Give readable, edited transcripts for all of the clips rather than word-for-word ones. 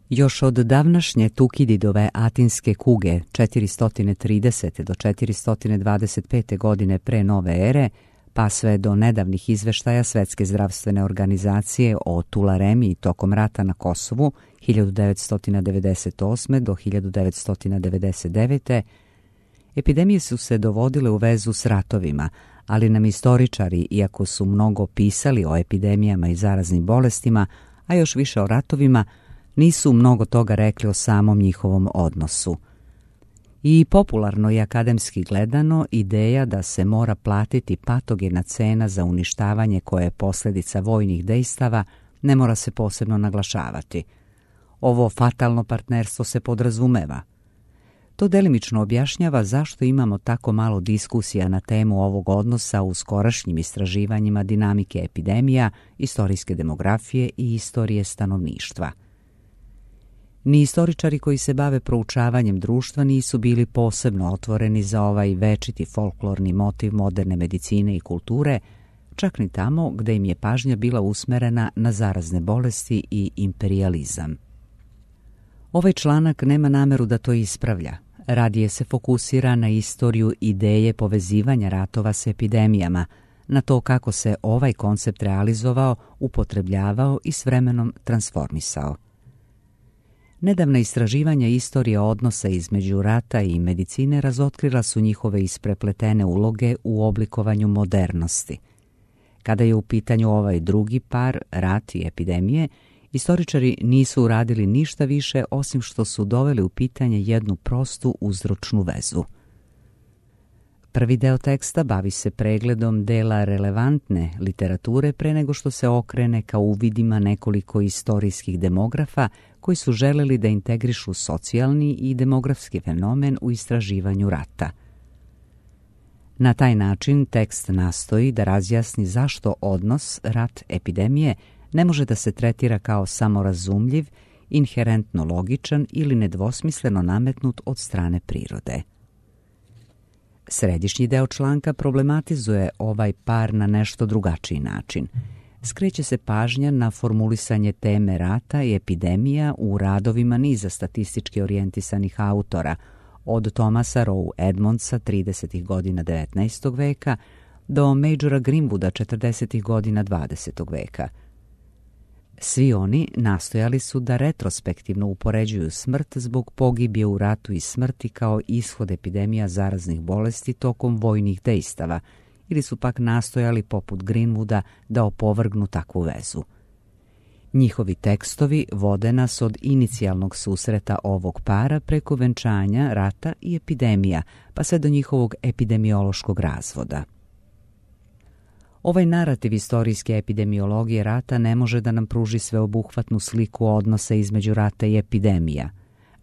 Još od davnašnje Tukididove atinske kuge 430. do 425. godine pre nove ere, pa sve do nedavnih izveštaja Svetske zdravstvene organizacije o tularemiji tokom rata na Kosovu 1998. do 1999. epidemije su se dovodile u vezu s ratovima, ali nam istoričari, iako su mnogo pisali o epidemijama i zaraznim bolestima, a još više o ratovima, nisu mnogo toga rekli o samom njihovom odnosu. I popularno i akademski gledano, ideja da se mora platiti patogena cena za uništavanje koje je posljedica vojnih dejstava ne mora se posebno naglašavati. Ovo fatalno partnerstvo se podrazumeva. To delimično objašnjava zašto imamo tako malo diskusija na temu ovog odnosa u skorašnjim istraživanjima dinamike epidemija, istorijske demografije i istorije stanovništva. Ni istoričari koji se bave proučavanjem društva nisu bili posebno otvoreni za ovaj večiti folklorni motiv moderne medicine i kulture, čak ni tamo gde im je pažnja bila usmerena na zarazne bolesti i imperijalizam. Ovaj članak nema nameru da to ispravlja. Radije se fokusira na istoriju ideje povezivanja ratova s epidemijama, na to kako se ovaj koncept realizovao, upotrebljavao i s vremenom transformisao. Nedavna istraživanja istorije odnosa između rata i medicine razotkrila su njihove isprepletene uloge u oblikovanju modernosti. Kada je u pitanju ovaj drugi par, rat i epidemije, istoričari nisu uradili ništa više osim što su doveli u pitanje jednu prostu uzročnu vezu. Prvi deo teksta bavi se pregledom dela relevantne literature pre nego što se okrene ka uvidima nekoliko istorijskih demografa koji su želeli da integrišu socijalni i demografski fenomen u istraživanju rata. Na taj način tekst nastoji da razjasni zašto odnos rat-epidemije ne može da se tretira kao samorazumljiv, inherentno logičan ili nedvosmisleno nametnut od strane prirode. Središnji deo članka problematizuje ovaj par na nešto drugačiji način. Skreće se pažnja na formulisanje teme rata i epidemija u radovima niza statistički orijentisanih autora, od Thomasa Rowe Edmondsa 30. godina 19. veka do Majora Greenwooda 40. godina 20. veka. Svi oni nastojali su da retrospektivno upoređuju smrt zbog pogibije u ratu i smrti kao ishod epidemija zaraznih bolesti tokom vojnih dejstava, ili su pak nastojali poput Greenwooda da opovrgnu takvu vezu. Njihovi tekstovi vode nas od inicijalnog susreta ovog para preko venčanja, rata i epidemija, pa sve do njihovog epidemiološkog razvoda. Ovaj narativ istorijske epidemiologije rata ne može da nam pruži sveobuhvatnu sliku odnosa između rata i epidemija.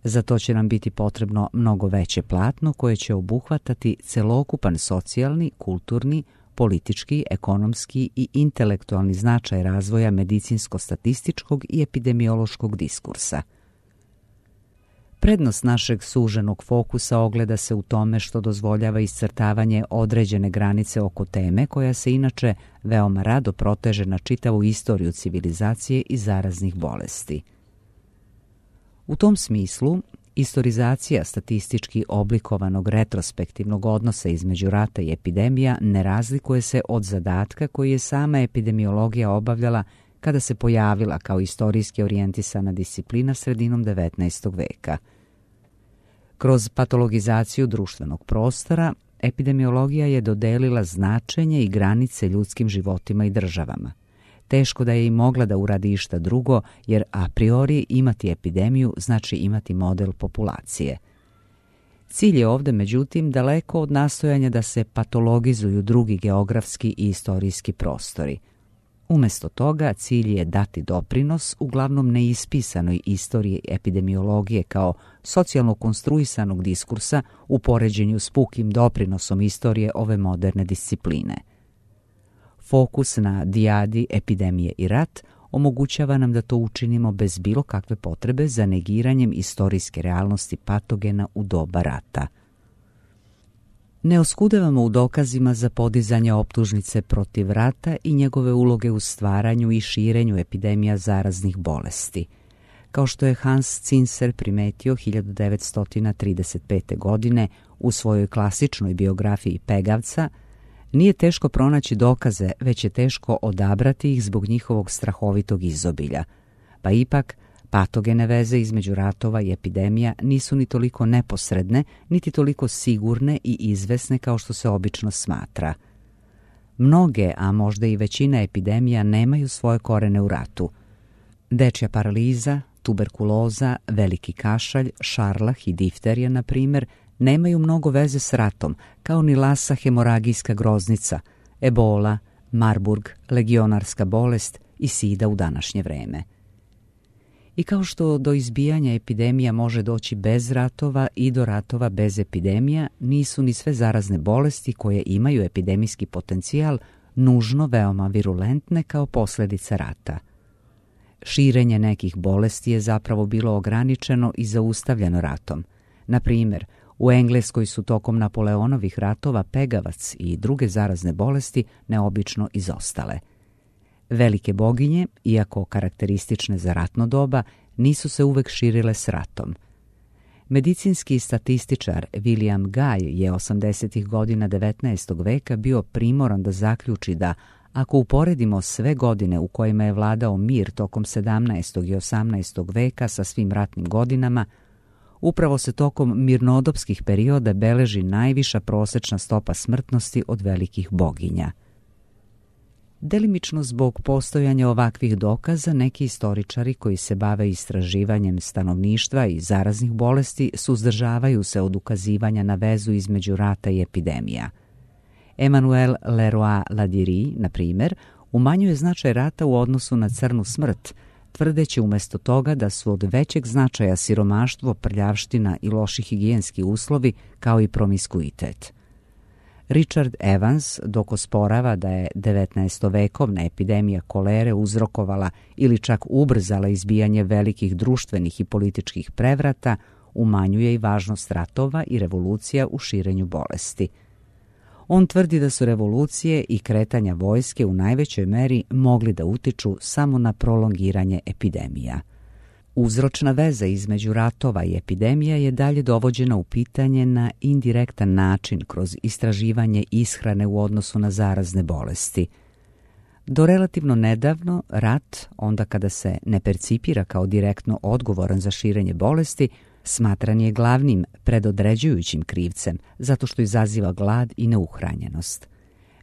Za to će nam biti potrebno mnogo veće platno koje će obuhvatati celokupan socijalni, kulturni, politički, ekonomski i intelektualni značaj razvoja medicinsko-statističkog i epidemiološkog diskursa. Prednost našeg suženog fokusa ogleda se u tome što dozvoljava iscrtavanje određene granice oko teme koja se inače veoma rado proteže na čitavu istoriju civilizacije i zaraznih bolesti. U tom smislu, istorizacija statistički oblikovanog retrospektivnog odnosa između rata i epidemija ne razlikuje se od zadatka koji je sama epidemiologija obavljala kada se pojavila kao istorijski orijentisana disciplina sredinom 19. veka. Kroz patologizaciju društvenog prostora, epidemiologija je dodelila značenje i granice ljudskim životima i državama. Teško da je i mogla da uradi išta drugo, jer a priori imati epidemiju znači imati model populacije. Cilj je ovde, međutim, daleko od nastojanja da se patologizuju drugi geografski i istorijski prostori. Umesto toga, cilj je dati doprinos uglavnom neispisanoj istoriji epidemiologije kao socijalno konstruisanog diskursa u poređenju s pukim doprinosom istorije ove moderne discipline. Fokus na dijadi, epidemije i rat omogućava nam da to učinimo bez bilo kakve potrebe za negiranjem istorijske realnosti patogena u doba rata. Ne oskudevamo u dokazima za podizanje optužnice protiv rata i njegove uloge u stvaranju i širenju epidemija zaraznih bolesti. kao što je Hans Zinser primetio 1935. godine u svojoj klasičnoj biografiji Pegavca, nije teško pronaći dokaze, već je teško odabrati ih zbog njihovog strahovitog izobilja. Pa ipak, patogene veze između ratova i epidemija nisu ni toliko neposredne, niti toliko sigurne i izvesne kao što se obično smatra. Mnoge, a možda i većina epidemija nemaju svoje korene u ratu. Dečja paraliza, tuberkuloza, veliki kašalj, šarlah i difterija, na primjer, nemaju mnogo veze s ratom, kao ni lasa hemoragijska groznica, ebola, Marburg, legionarska bolest i sida u današnje vreme. I kao što do izbijanja epidemija može doći bez ratova i do ratova bez epidemija, nisu ni sve zarazne bolesti koje imaju epidemijski potencijal nužno veoma virulentne kao posljedica rata. Širenje nekih bolesti je zapravo bilo ograničeno i zaustavljeno ratom. Na primjer, u Engleskoj su tokom Napoleonovih ratova pegavac i druge zarazne bolesti neobično izostale. Velike boginje, iako karakteristične za ratno doba, nisu se uvek širile s ratom. Medicinski statističar William Guy je 80. godina 19. veka bio primoran da zaključi da, ako uporedimo sve godine u kojima je vladao mir tokom 17. i 18. veka sa svim ratnim godinama, upravo se tokom mirnodopskih perioda beleži najviša prosečna stopa smrtnosti od velikih boginja. Delimično zbog postojanja ovakvih dokaza, neki istoričari koji se bave istraživanjem stanovništva i zaraznih bolesti suzdržavaju se od ukazivanja na vezu između rata i epidemija. Emmanuel Leroy-Ladurie, na primjer, umanjuje značaj rata u odnosu na crnu smrt, tvrdeći umjesto toga da su od većeg značaja siromaštvo, prljavština i loši higijenski uslovi, kao i promiskuitet. Richard Evans, dok osporava da je 19-vekovna epidemija kolere uzrokovala ili čak ubrzala izbijanje velikih društvenih i političkih prevrata, umanjuje i važnost ratova i revolucija u širenju bolesti. On tvrdi da su revolucije i kretanja vojske u najvećoj meri mogli da utiču samo na prolongiranje epidemija. Uzročna veza između ratova i epidemija je dalje dovođena u pitanje na indirektan način kroz istraživanje ishrane u odnosu na zarazne bolesti. Do relativno nedavno, rat, onda kada se ne percipira kao direktno odgovoran za širenje bolesti, smatran je glavnim predodređujućim krivcem, zato što izaziva glad i neuhranjenost.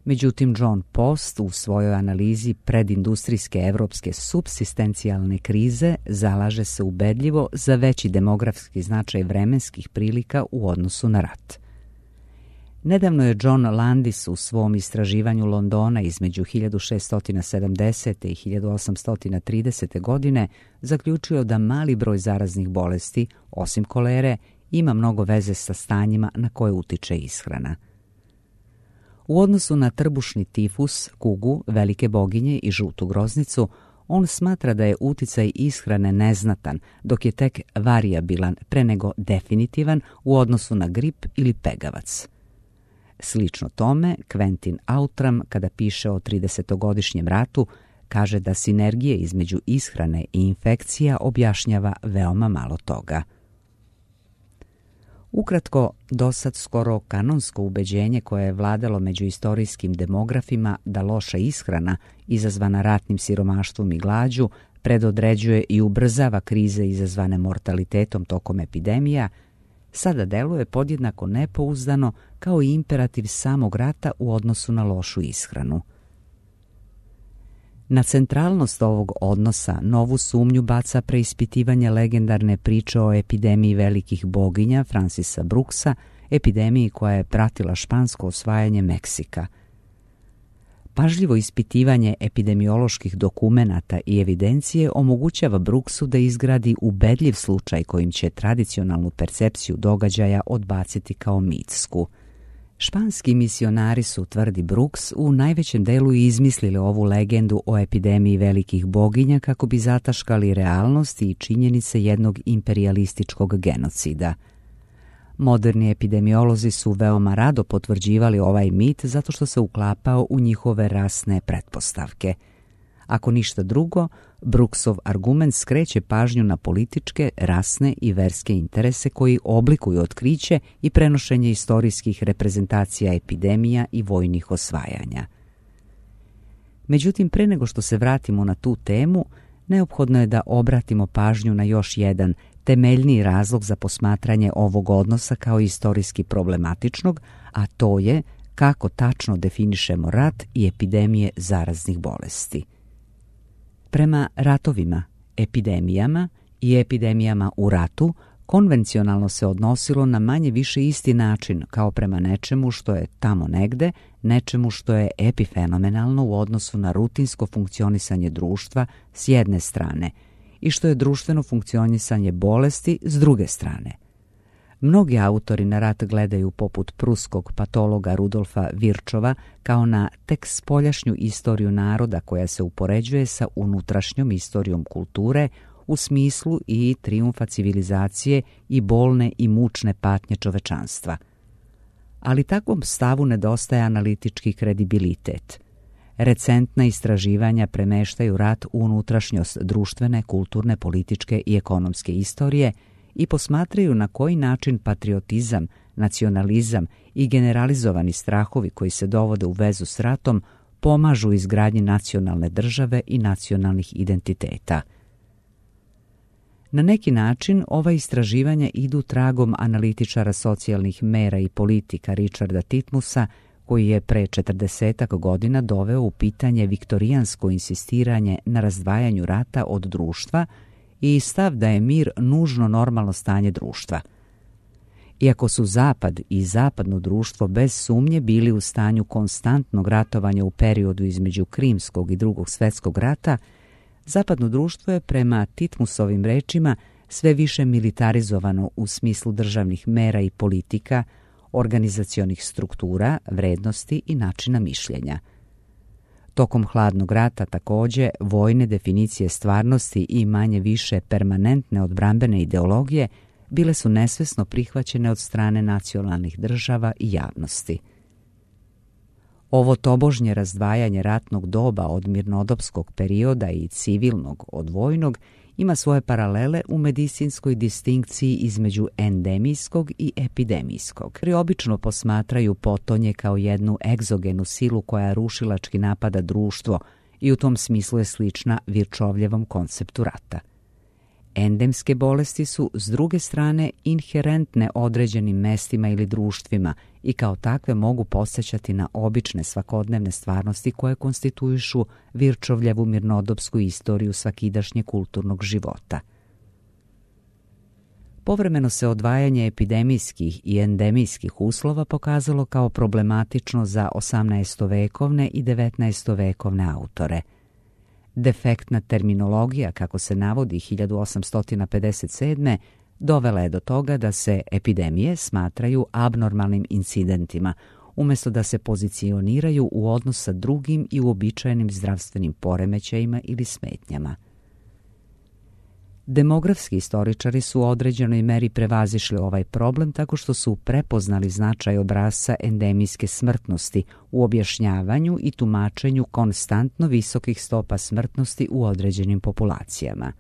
Međutim, John Post u svojoj analizi predindustrijske evropske supsistencijalne krize zalaže se ubedljivo za veći demografski značaj vremenskih prilika u odnosu na rat. Nedavno je John Landis u svom istraživanju Londona između 1670. i 1830. godine zaključio da mali broj zaraznih bolesti, osim kolere, ima mnogo veze sa stanjima na koje utiče ishrana. U odnosu na trbušni tifus, kugu, velike boginje i žutu groznicu, on smatra da je uticaj ishrane neznatan, dok je tek varijabilan pre nego definitivan u odnosu na grip ili pegavac. Slično tome, Quentin Outram, kada piše o 30-godišnjem ratu, kaže da sinergije između ishrane i infekcija objašnjava veoma malo toga. Ukratko, dosad skoro kanonsko ubeđenje koje je vladalo među istorijskim demografima da loša ishrana, izazvana ratnim siromaštvom i glađu, predodređuje i ubrzava krize izazvane mortalitetom tokom epidemija, sada deluje podjednako nepouzdano kao i imperativ samog rata u odnosu na lošu ishranu. Na centralnost ovog odnosa novu sumnju baca preispitivanje legendarne priče o epidemiji velikih boginja Francisa Brooksa, epidemiji koja je pratila špansko osvajanje Meksika. Pažljivo ispitivanje epidemioloških dokumenata i evidencije omogućava Brooksu da izgradi ubedljiv slučaj kojim će tradicionalnu percepciju događaja odbaciti kao mitsku. Španski misionari su, tvrdi Brooks, u najvećem delu izmislili ovu legendu o epidemiji velikih boginja kako bi zataškali realnost i činjenice jednog imperijalističkog genocida. Moderni epidemiolozi su veoma rado potvrđivali ovaj mit zato što se uklapao u njihove rasne pretpostavke. Ako ništa drugo, Brooksov argument skreće pažnju na političke, rasne i verske interese koji oblikuju otkriće i prenošenje istorijskih reprezentacija epidemija i vojnih osvajanja. Međutim, pre nego što se vratimo na tu temu, neophodno je da obratimo pažnju na još jedan temeljniji razlog za posmatranje ovog odnosa kao istorijski problematičnog, a to je kako tačno definišemo rat i epidemije zaraznih bolesti. Prema ratovima, epidemijama i epidemijama u ratu, konvencionalno se odnosilo na manje više isti način kao prema nečemu što je tamo negde, nečemu što je epifenomenalno u odnosu na rutinsko funkcionisanje društva s jedne strane i što je društveno funkcionisanje bolesti s druge strane. Mnogi autori na rat gledaju poput pruskog patologa Rudolfa Virčova kao na tek spoljašnju istoriju naroda koja se upoređuje sa unutrašnjom istorijom kulture u smislu i trijumfa civilizacije i bolne i mučne patnje čovečanstva. Ali takvom stavu nedostaje analitički kredibilitet. Recentna istraživanja premeštaju rat u unutrašnjost društvene, kulturne, političke i ekonomske istorije i posmatraju na koji način patriotizam, nacionalizam i generalizovani strahovi koji se dovode u vezu s ratom pomažu izgradnji nacionalne države i nacionalnih identiteta. Na neki način ova istraživanja idu tragom analitičara socijalnih mera i politika Richarda Titmusa, koji je pre 40 godina doveo u pitanje viktorijansko insistiranje na razdvajanju rata od društva i stav da je mir nužno normalno stanje društva. Iako su Zapad i zapadno društvo bez sumnje bili u stanju konstantnog ratovanja u periodu između Krimskog i Drugog svjetskog rata, zapadno društvo je prema Titmusovim rečima sve više militarizovano u smislu državnih mera i politika, organizacionih struktura, vrednosti i načina mišljenja. Tokom hladnog rata također vojne definicije stvarnosti i manje više permanentne odbrambene ideologije bile su nesvesno prihvaćene od strane nacionalnih država i javnosti. Ovo tobožnje razdvajanje ratnog doba od mirnodopskog perioda i civilnog od vojnog ima svoje paralele u medicinskoj distinkciji između endemijskog i epidemijskog. Obično posmatraju potonje kao jednu egzogenu silu koja rušilački napada društvo i u tom smislu je slična Virčovljevom konceptu rata. Endemske bolesti su, s druge strane, inherentne određenim mestima ili društvima i kao takve mogu podsjećati na obične svakodnevne stvarnosti koje konstituišu Virčovljevu mirnodopsku istoriju svakidašnje kulturnog života. Povremeno se odvajanje epidemijskih i endemijskih uslova pokazalo kao problematično za 18-vekovne i 19-vekovne autore. Defektna terminologija, kako se navodi 1857. dovela je do toga da se epidemije smatraju abnormalnim incidentima, umjesto da se pozicioniraju u odnos sa drugim i uobičajenim zdravstvenim poremećajima ili smetnjama. Demografski istoričari su u određenoj meri prevazišli ovaj problem tako što su prepoznali značaj obrasca endemijske smrtnosti u objašnjavanju i tumačenju konstantno visokih stopa smrtnosti u određenim populacijama.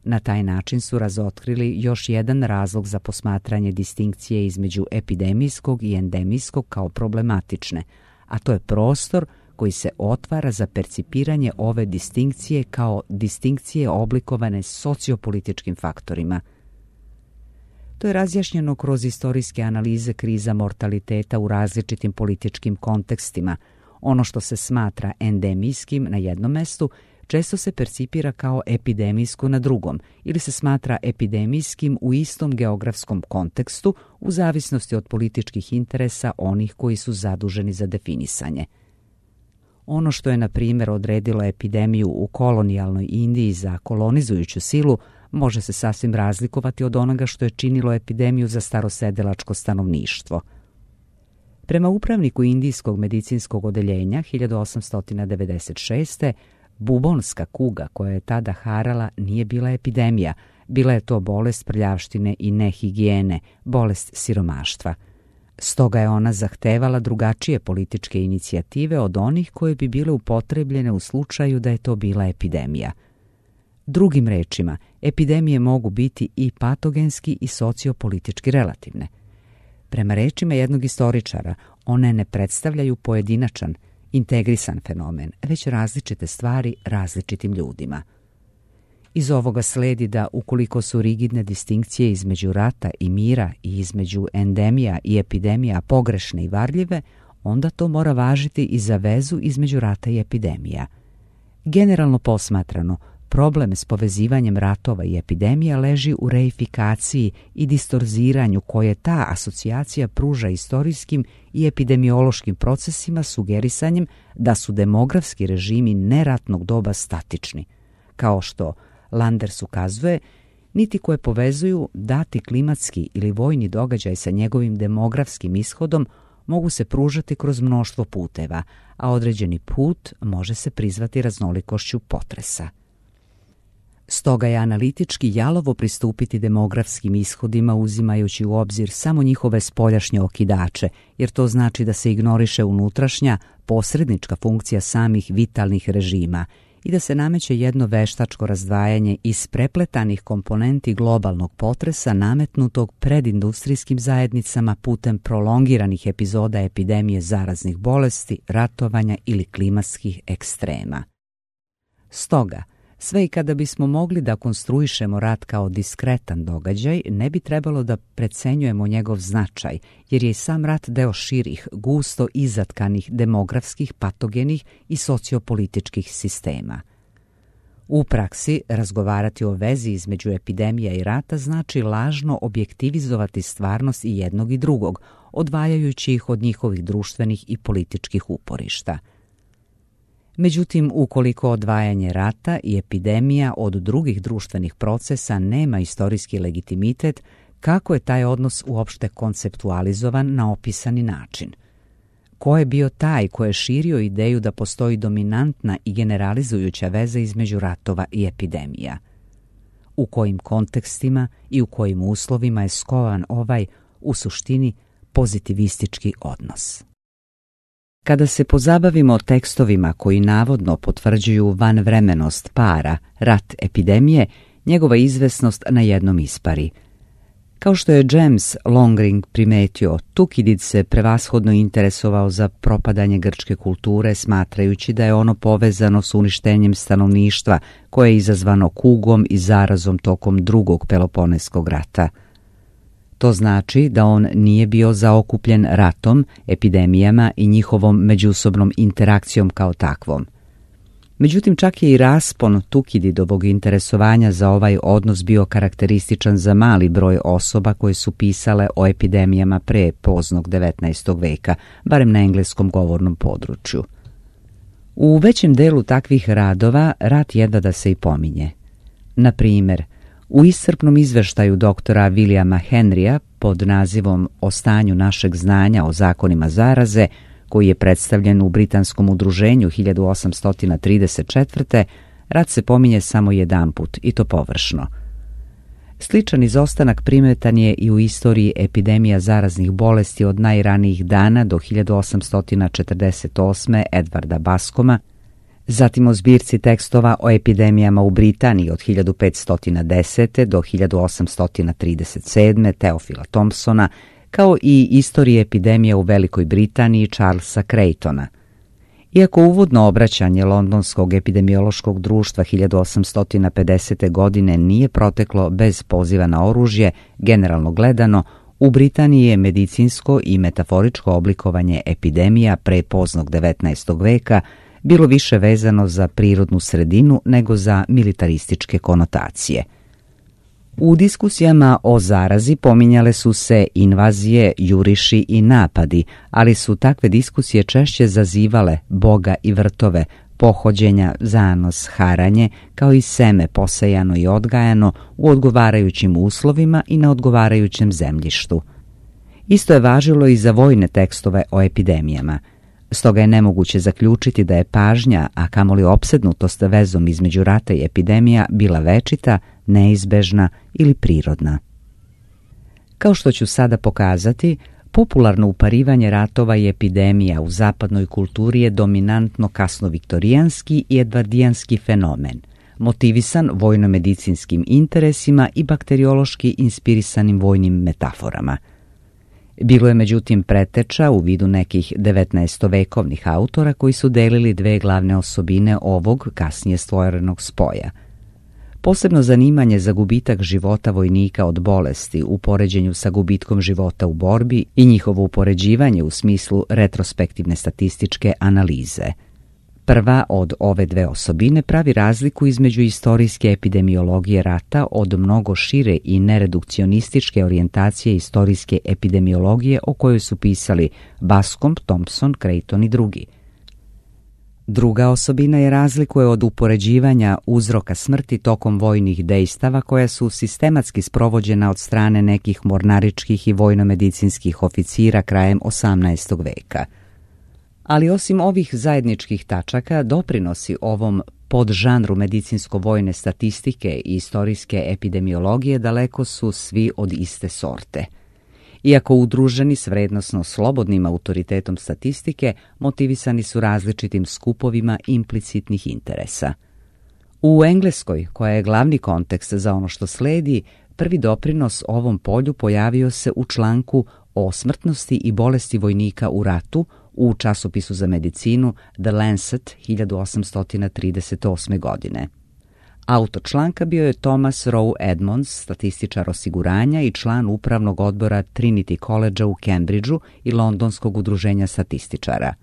Na taj način su razotkrili još jedan razlog za posmatranje distinkcije između epidemijskog i endemijskog kao problematične, a to je prostor koji se otvara za percipiranje ove distinkcije kao distinkcije oblikovane sociopolitičkim faktorima. To je razjašnjeno kroz istorijske analize kriza mortaliteta u različitim političkim kontekstima. Ono što se smatra endemijskim na jednom mestu često se percipira kao epidemijsko na drugom ili se smatra epidemijskim u istom geografskom kontekstu u zavisnosti od političkih interesa onih koji su zaduženi za definisanje. Ono što je, na primjer, odredilo epidemiju u kolonijalnoj Indiji za kolonizujuću silu može se sasvim razlikovati od onoga što je činilo epidemiju za starosedelačko stanovništvo. Prema upravniku Indijskog medicinskog odeljenja 1896. bubonska kuga koja je tada harala nije bila epidemija, bila je to bolest prljavštine i nehigijene, bolest siromaštva. Stoga je ona zahtevala drugačije političke inicijative od onih koje bi bile upotrebljene u slučaju da je to bila epidemija. Drugim rečima, epidemije mogu biti i patogenski i sociopolitički relativne. Prema rečima jednog istoričara, one ne predstavljaju pojedinačan, integrisan fenomen, već različite stvari različitim ljudima. Iz ovoga sledi da ukoliko su rigidne distinkcije između rata i mira i između endemija i epidemija pogrešne i varljive, onda to mora važiti i za vezu između rata i epidemija. Generalno posmatrano, problem s povezivanjem ratova i epidemija leži u reifikaciji i distorziranju koje ta asocijacija pruža istorijskim i epidemiološkim procesima sugerisanjem da su demografski režimi neratnog doba statični, kao što Landers ukazuje, niti koje povezuju dati klimatski ili vojni događaj sa njegovim demografskim ishodom mogu se pružati kroz mnoštvo puteva, a određeni put može se prizvati raznolikošću potresa. Stoga je analitički jalovo pristupiti demografskim ishodima uzimajući u obzir samo njihove spoljašnje okidače, jer to znači da se ignoriše unutrašnja, posrednička funkcija samih vitalnih režima i da se nameće jedno veštačko razdvajanje iz prepletanih komponenti globalnog potresa nametnutog predindustrijskim zajednicama putem prolongiranih epizoda epidemije zaraznih bolesti, ratovanja ili klimatskih ekstrema. Stoga, sve i kada bismo mogli da konstruišemo rat kao diskretan događaj, ne bi trebalo da precenjujemo njegov značaj, jer je i sam rat deo širih, gusto izatkanih demografskih, patogenih i sociopolitičkih sistema. U praksi, razgovarati o vezi između epidemija i rata znači lažno objektivizovati stvarnost i jednog i drugog, odvajajući ih od njihovih društvenih i političkih uporišta. Međutim, ukoliko odvajanje rata i epidemija od drugih društvenih procesa nema istorijski legitimitet, kako je taj odnos uopšte konceptualizovan na opisani način? Ko je bio taj ko je širio ideju da postoji dominantna i generalizujuća veza između ratova i epidemija? U kojim kontekstima i u kojim uslovima je skovan ovaj, u suštini, pozitivistički odnos? Kada se pozabavimo tekstovima koji navodno potvrđuju vanvremenost para, rat, epidemije, njegova izvesnost na jednom ispari. Kao što je James Longring primetio, Tukidid se prevashodno interesovao za propadanje grčke kulture, smatrajući da je ono povezano s uništenjem stanovništva koje je izazvano kugom i zarazom tokom drugog Peloponeskog rata. To znači da on nije bio zaokupljen ratom, epidemijama i njihovom međusobnom interakcijom kao takvom. Međutim, čak je i raspon Tukididovog interesovanja za ovaj odnos bio karakterističan za mali broj osoba koje su pisale o epidemijama pre poznog 19. veka, barem na engleskom govornom području. U većem delu takvih radova rat jedva da se i pominje. Na primjer, u iscrpnom izveštaju doktora Williama Henrya pod nazivom O stanju našeg znanja o zakonima zaraze, koji je predstavljen u Britanskom udruženju 1834. rat se pominje samo jedanput, i to površno. Sličan izostanak primetan je i u istoriji epidemija zaraznih bolesti od najranijih dana do 1848. Edvarda Bascoma, zatim o zbirci tekstova o epidemijama u Britaniji od 1510. do 1837. Teofila Thompsona, kao i istorije epidemija u Velikoj Britaniji Charlesa Craytona. Iako uvodno obraćanje Londonskog epidemiološkog društva 1850. godine nije proteklo bez poziva na oružje, generalno gledano, u Britaniji je medicinsko i metaforičko oblikovanje epidemija pre poznog 19. veka bilo više vezano za prirodnu sredinu nego za militarističke konotacije. U diskusijama o zarazi pominjale su se invazije, juriši i napadi, ali su takve diskusije češće zazivale boga i vrtove, pohođenja, zanos, haranje, kao i seme posejano i odgajano u odgovarajućim uslovima i na odgovarajućem zemljištu. Isto je važilo i za vojne tekstove o epidemijama. Stoga je nemoguće zaključiti da je pažnja, a kamoli opsednutost vezom između rata i epidemija bila večita, neizbežna ili prirodna. Kao što ću sada pokazati, Popularno uparivanje ratova i epidemija u zapadnoj kulturi je dominantno kasnoviktorijanski i edvardijanski fenomen, motivisan vojno-medicinskim interesima i bakteriološki inspirisanim vojnim metaforama. Bilo je međutim preteča u vidu nekih 19-vekovnih autora koji su delili dve glavne osobine ovog kasnije stvorenog spoja. Posebno zanimanje za gubitak života vojnika od bolesti u poređenju sa gubitkom života u borbi i njihovo upoređivanje u smislu retrospektivne statističke analize. Prva od ove dve osobine pravi razliku između istorijske epidemiologije rata od mnogo šire i neredukcionističke orijentacije istorijske epidemiologije o kojoj su pisali Bascom, Thompson, Creighton i drugi. Druga osobina je razlikuje od upoređivanja uzroka smrti tokom vojnih dejstava koja su sistematski sprovođena od strane nekih mornaričkih i vojno-medicinskih oficira krajem 18. veka. Ali osim ovih zajedničkih tačaka, doprinosi ovom podžanru medicinsko-vojne statistike i istorijske epidemiologije daleko su svi od iste sorte. Iako udruženi s vrednosno slobodnim autoritetom statistike, motivisani su različitim skupovima implicitnih interesa. U Engleskoj, koja je glavni kontekst za ono što sledi, prvi doprinos ovom polju pojavio se u članku o smrtnosti i bolesti vojnika u ratu u časopisu za medicinu The Lancet 1838. godine. Autor članka bio je Thomas Rowe Edmonds, statističar osiguranja i član upravnog odbora Trinity College u Cambridgeu i Londonskog udruženja statističara.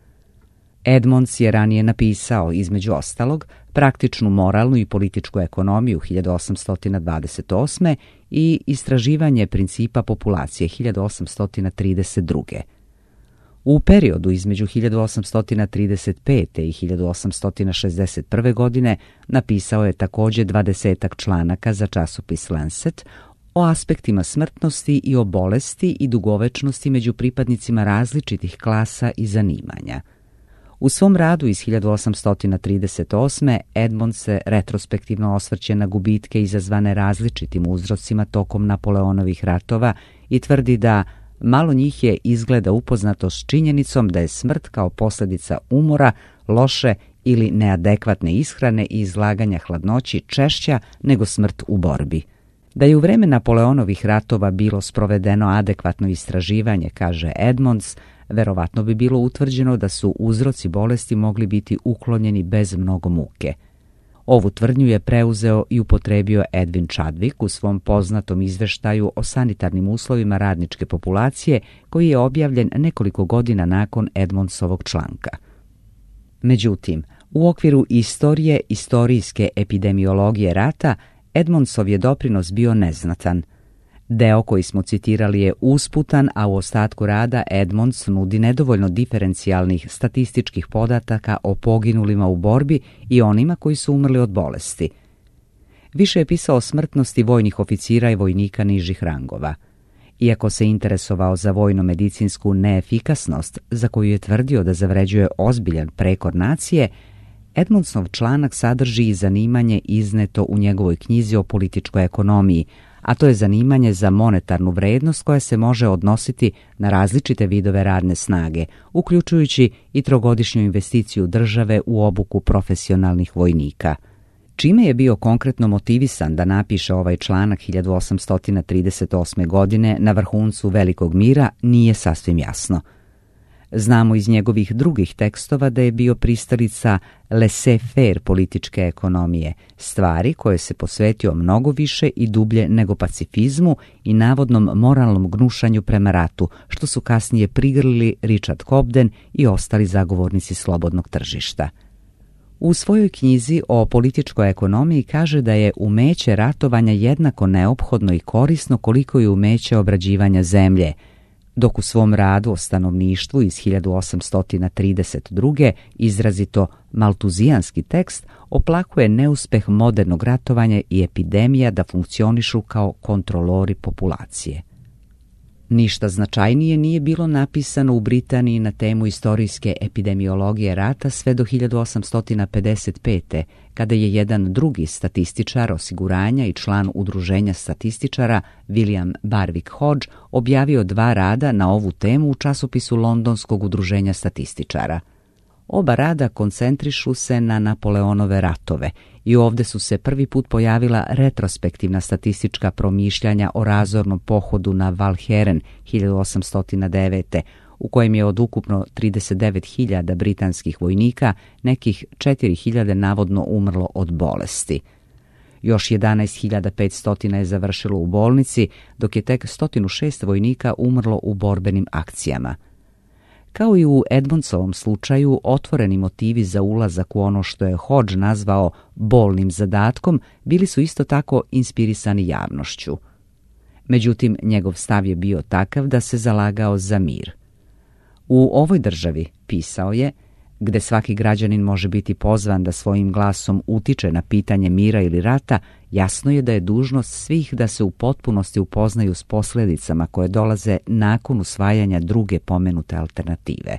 Edmonds je ranije napisao, između ostalog, Praktičnu moralnu i političku ekonomiju 1828. i Istraživanje principa populacije 1832. U periodu između 1835. i 1861. godine napisao je također 20 članaka za časopis Lancet o aspektima smrtnosti i o bolesti i dugovečnosti među pripadnicima različitih klasa i zanimanja. U svom radu iz 1838. Edmond se retrospektivno osvrće na gubitke izazvane različitim uzrocima tokom Napoleonovih ratova i tvrdi da malo njih je izgleda upoznato s činjenicom da je smrt kao posljedica umora, loše ili neadekvatne ishrane i izlaganja hladnoći češća nego smrt u borbi. Da je u vreme Napoleonovih ratova bilo sprovedeno adekvatno istraživanje, kaže Edmonds, verovatno bi bilo utvrđeno da su uzroci bolesti mogli biti uklonjeni bez mnogo muke. Ovu tvrdnju je preuzeo i upotrebio Edwin Chadwick u svom poznatom izveštaju o sanitarnim uslovima radničke populacije, koji je objavljen nekoliko godina nakon Edmondsovog članka. Međutim, u okviru istorije istorijske epidemiologije rata, Edmondsov je doprinos bio neznatan. Deo koji smo citirali je usputan, a u ostatku rada Edmonds nudi nedovoljno diferencijalnih statističkih podataka o poginulima u borbi i onima koji su umrli od bolesti. Više je pisao o smrtnosti vojnih oficira i vojnika nižih rangova. Iako se interesovao za vojno-medicinsku neefikasnost, za koju je tvrdio da zavređuje ozbiljan prekor nacije, Edmondsov članak sadrži i zanimanje izneto u njegovoj knjizi o političkoj ekonomiji, a to je zanimanje za monetarnu vrednost koja se može odnositi na različite vidove radne snage, uključujući i trogodišnju investiciju države u obuku profesionalnih vojnika. Čime je bio konkretno motivisan da napiše ovaj članak 1838. godine na vrhuncu Velikog mira nije sasvim jasno. Znamo iz njegovih drugih tekstova da je bio pristalica laissez-faire političke ekonomije, stvari koje se posvetio mnogo više i dublje nego pacifizmu i navodnom moralnom gnušanju prema ratu, što su kasnije prigrlili Richard Cobden i ostali zagovornici slobodnog tržišta. U svojoj knjizi o političkoj ekonomiji kaže da je umeće ratovanja jednako neophodno i korisno koliko je umeće obrađivanja zemlje, dok u svom radu o stanovništvu iz 1832. izrazito maltuzijanski tekst oplakuje neuspeh modernog ratovanja i epidemija da funkcionišu kao kontrolori populacije. Ništa značajnije nije bilo napisano u Britaniji na temu istorijske epidemiologije rata sve do 1855. kada je jedan drugi statističar osiguranja i član udruženja statističara, William Barwick Hodge, objavio 2 rada na ovu temu u časopisu Londonskog udruženja statističara. Oba rada koncentrišu se na Napoleonove ratove i ovdje su se prvi put pojavila retrospektivna statistička promišljanja o razornom pohodu na Walcheren 1809. u kojem je od ukupno 39.000 britanskih vojnika nekih 4.000 navodno umrlo od bolesti. Još 11.500 je završilo u bolnici, dok je tek 106 vojnika umrlo u borbenim akcijama. Kao i u Edmondsovom slučaju, otvoreni motivi za ulazak u ono što je Hodge nazvao bolnim zadatkom bili su isto tako inspirisani javnošću. Međutim, njegov stav je bio takav da se zalagao za mir. U ovoj državi, pisao je, gde svaki građanin može biti pozvan da svojim glasom utiče na pitanje mira ili rata, jasno je da je dužnost svih da se u potpunosti upoznaju s posljedicama koje dolaze nakon usvajanja druge pomenute alternative.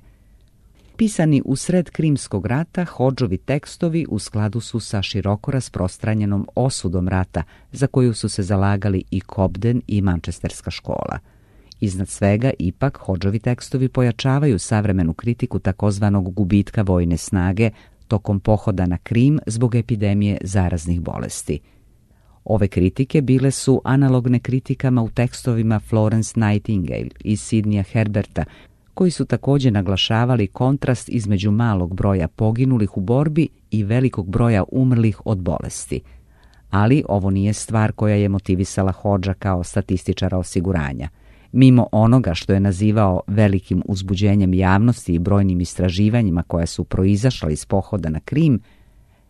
Pisani u sred Krimskog rata, Hodgeovi tekstovi u skladu su sa široko rasprostranjenom osudom rata, za koju su se zalagali i Cobden i Manchesterska škola. Iznad svega, ipak, Hodgeovi tekstovi pojačavaju savremenu kritiku takozvanog gubitka vojne snage tokom pohoda na Krim zbog epidemije zaraznih bolesti. Ove kritike bile su analogne kritikama u tekstovima Florence Nightingale i Sidneya Herberta, koji su također naglašavali kontrast između malog broja poginulih u borbi i velikog broja umrlih od bolesti. Ali ovo nije stvar koja je motivisala Hodgea kao statističara osiguranja. Mimo onoga što je nazivao velikim uzbuđenjem javnosti i brojnim istraživanjima koja su proizašla iz pohoda na Krim,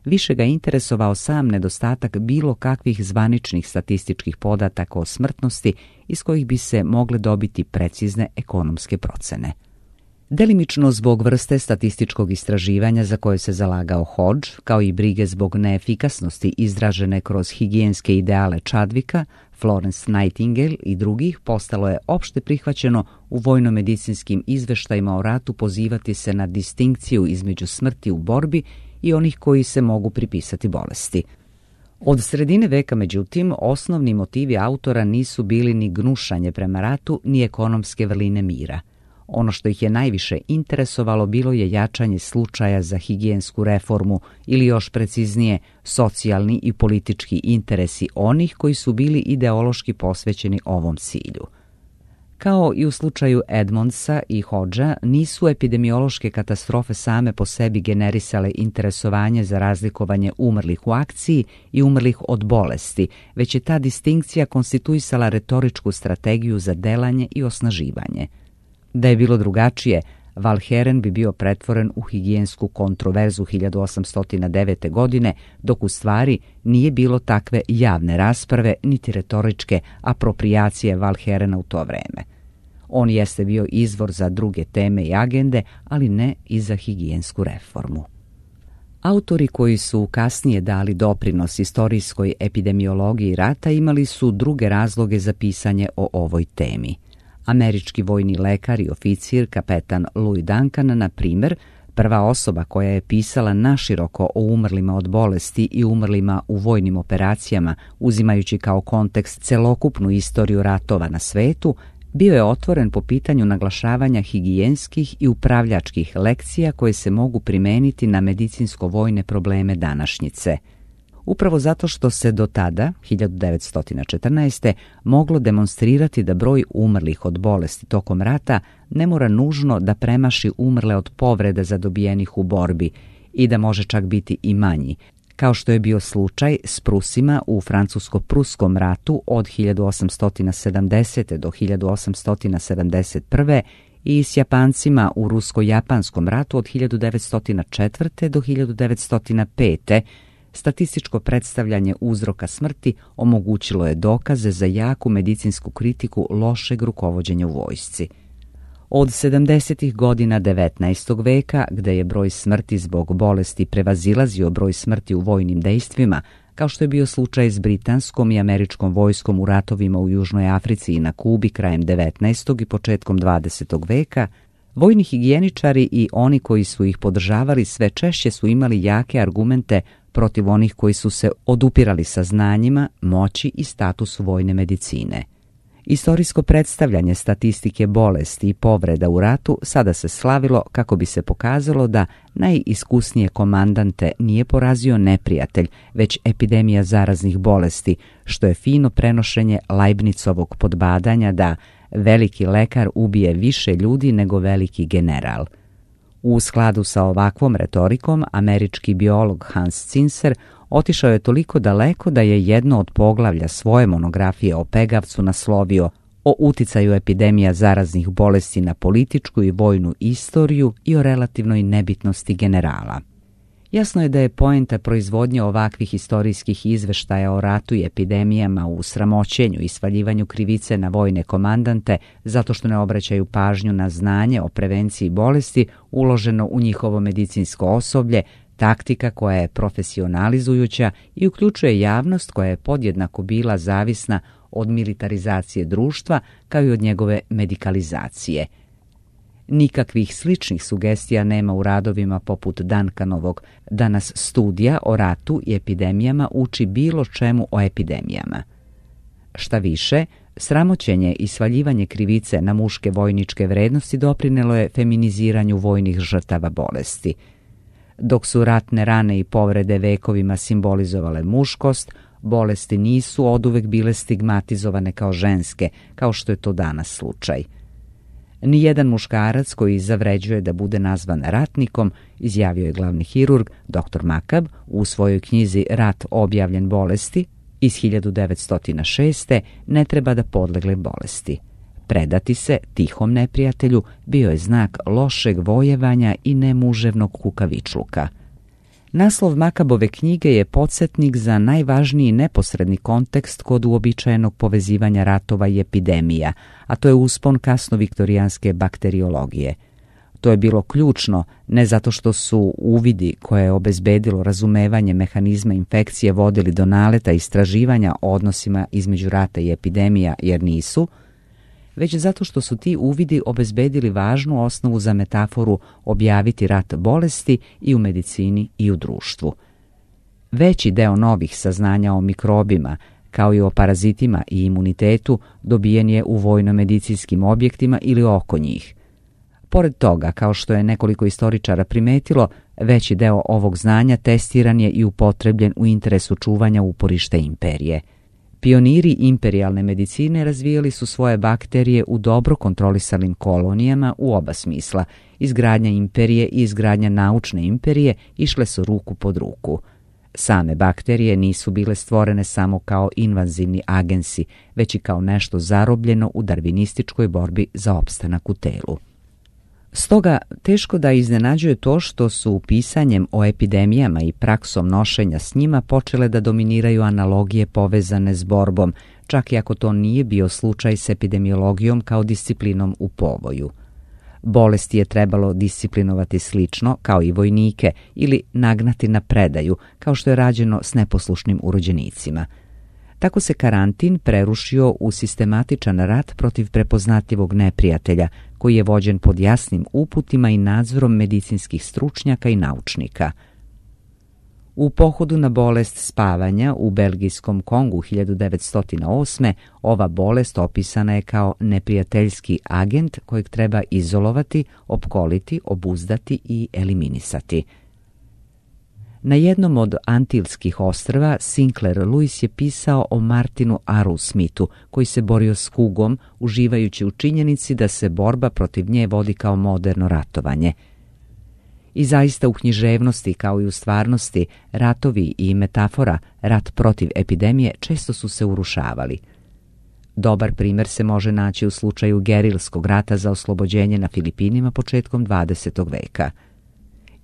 više ga interesovao sam nedostatak bilo kakvih zvaničnih statističkih podataka o smrtnosti iz kojih bi se mogle dobiti precizne ekonomske procene. Delimično zbog vrste statističkog istraživanja za koje se zalagao Hodge, kao i brige zbog neefikasnosti izražene kroz higijenske ideale Chadwicka, Florence Nightingale i drugih, postalo je opšte prihvaćeno u vojno-medicinskim izveštajima o ratu pozivati se na distinkciju između smrti u borbi i onih koji se mogu pripisati bolesti. Od sredine veka, međutim, osnovni motivi autora nisu bili ni gnušanje prema ratu, ni ekonomske vrline mira. Ono što ih je najviše interesovalo bilo je jačanje slučaja za higijensku reformu ili još preciznije socijalni i politički interesi onih koji su bili ideološki posvećeni ovom cilju. Kao i u slučaju Edmondsa i Hodgea, nisu epidemiološke katastrofe same po sebi generisale interesovanje za razlikovanje umrlih u akciji i umrlih od bolesti, već je ta distinkcija konstituisala retoričku strategiju za delanje i osnaživanje. Da je bilo drugačije, Walcheren bi bio pretvoren u higijensku kontroverzu 1809. godine, dok u stvari nije bilo takve javne rasprave niti retoričke aproprijacije Walcherena u to vreme. On jeste bio izvor za druge teme i agende, ali ne i za higijensku reformu. Autori koji su kasnije dali doprinos istorijskoj epidemiologiji rata imali su druge razloge za pisanje o ovoj temi. Američki vojni lekar i oficir kapetan Louis Duncan, na primjer, prva osoba koja je pisala naširoko o umrlima od bolesti i umrlima u vojnim operacijama, uzimajući kao kontekst celokupnu istoriju ratova na svetu, bio je otvoren po pitanju naglašavanja higijenskih i upravljačkih lekcija koje se mogu primeniti na medicinsko-vojne probleme današnjice. Upravo zato što se do tada, 1914. moglo demonstrirati da broj umrlih od bolesti tokom rata ne mora nužno da premaši umrle od povreda zadobijenih u borbi i da može čak biti i manji, kao što je bio slučaj s Prusima u Francusko-pruskom ratu od 1870. do 1871. i s Japancima u Rusko-japanskom ratu od 1904. do 1905. Statističko predstavljanje uzroka smrti omogućilo je dokaze za jaku medicinsku kritiku lošeg rukovođenja u vojsci. Od 70. godina 19. veka, gde je broj smrti zbog bolesti prevazilazio broj smrti u vojnim dejstvima, kao što je bio slučaj s britanskom i američkom vojskom u ratovima u Južnoj Africi i na Kubi krajem 19. i početkom 20. veka, vojni higijeničari i oni koji su ih podržavali sve češće su imali jake argumente protiv onih koji su se odupirali saznanjima, moći i statusu vojne medicine. Istorijsko predstavljanje statistike bolesti i povreda u ratu sada se slavilo kako bi se pokazalo da najiskusnije komandante nije porazio neprijatelj, već epidemija zaraznih bolesti, što je fino prenošenje Leibnicovog podbadanja da veliki lekar ubije više ljudi nego veliki general. U skladu sa ovakvom retorikom, američki biolog Hans Zinser otišao je toliko daleko da je jedno od poglavlja svoje monografije o pegavcu naslovio o uticaju epidemija zaraznih bolesti na političku i vojnu istoriju i o relativnoj nebitnosti generala. Jasno je da je poenta proizvodnje ovakvih istorijskih izveštaja o ratu i epidemijama u sramoćenju i svaljivanju krivice na vojne komandante zato što ne obraćaju pažnju na znanje o prevenciji bolesti uloženo u njihovo medicinsko osoblje, taktika koja je profesionalizujuća i uključuje javnost koja je podjednako bila zavisna od militarizacije društva kao i od njegove medikalizacije. Nikakvih sličnih sugestija nema u radovima poput Duncanovog, da nas studija o ratu i epidemijama uči bilo čemu o epidemijama. Šta više, sramoćenje i svaljivanje krivice na muške vojničke vrednosti doprinelo je feminiziranju vojnih žrtava bolesti. Dok su ratne rane i povrede vekovima simbolizovale muškost, bolesti nisu oduvek bile stigmatizovane kao ženske, kao što je to danas slučaj. Nijedan muškarac koji zavređuje da bude nazvan ratnikom, izjavio je glavni hirurg dr. Makab u svojoj knjizi Rat objavljen bolesti iz 1906. ne treba da podlegne bolesti. Predati se tihom neprijatelju bio je znak lošeg vojevanja i nemuževnog kukavičluka. Naslov Makabove knjige je podsjetnik za najvažniji neposredni kontekst kod uobičajenog povezivanja ratova i epidemija, a to je uspon kasnoviktorijanske bakteriologije. To je bilo ključno ne zato što su uvidi koje je obezbedilo razumevanje mehanizma infekcije vodili do naleta istraživanja o odnosima između rata i epidemija, jer nisu, već zato što su ti uvidi obezbedili važnu osnovu za metaforu objaviti rat bolesti i u medicini i u društvu. Veći deo novih saznanja o mikrobima, kao i o parazitima i imunitetu, dobijen je u vojno-medicinskim objektima ili oko njih. Pored toga, kao što je nekoliko istoričara primetilo, veći deo ovog znanja testiran je i upotrebljen u interesu čuvanja uporišta imperije. Pioniri imperijalne medicine razvijali su svoje bakterije u dobro kontrolisanim kolonijama u oba smisla. Izgradnja imperije i izgradnja naučne imperije išle su ruku pod ruku. Same bakterije nisu bile stvorene samo kao invazivni agensi, već i kao nešto zarobljeno u darvinističkoj borbi za opstanak u telu. Stoga, teško da iznenađuje to što su pisanjem o epidemijama i praksom nošenja s njima počele da dominiraju analogije povezane s borbom, čak i ako to nije bio slučaj s epidemiologijom kao disciplinom u povoju. Bolesti je trebalo disciplinovati slično kao i vojnike ili nagnati na predaju, kao što je rađeno s neposlušnim urođenicima. Tako se karantin prerušio u sistematičan rat protiv prepoznatljivog neprijatelja, koji je vođen pod jasnim uputima i nadzorom medicinskih stručnjaka i naučnika. U pohodu na bolest spavanja u belgijskom Kongu 1908. ova bolest opisana je kao neprijateljski agent kojeg treba izolovati, opkoliti, obuzdati i eliminisati. Na jednom od Antilskih ostrva Sinclair Lewis je pisao o Martinu Arrowsmithu, koji se borio s kugom, uživajući u činjenici da se borba protiv nje vodi kao moderno ratovanje. I zaista u književnosti, kao i u stvarnosti, ratovi i metafora rat protiv epidemije često su se urušavali. Dobar primjer se može naći u slučaju gerilskog rata za oslobođenje na Filipinima početkom 20. veka.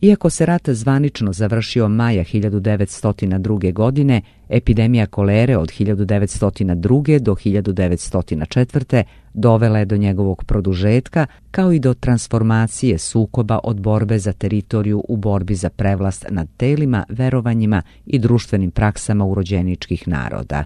Iako se rat zvanično završio maja 1902. godine, epidemija kolere od 1902. do 1904. dovela je do njegovog produžetka, kao i do transformacije sukoba od borbe za teritoriju u borbi za prevlast nad telima, verovanjima i društvenim praksama urođeničkih naroda.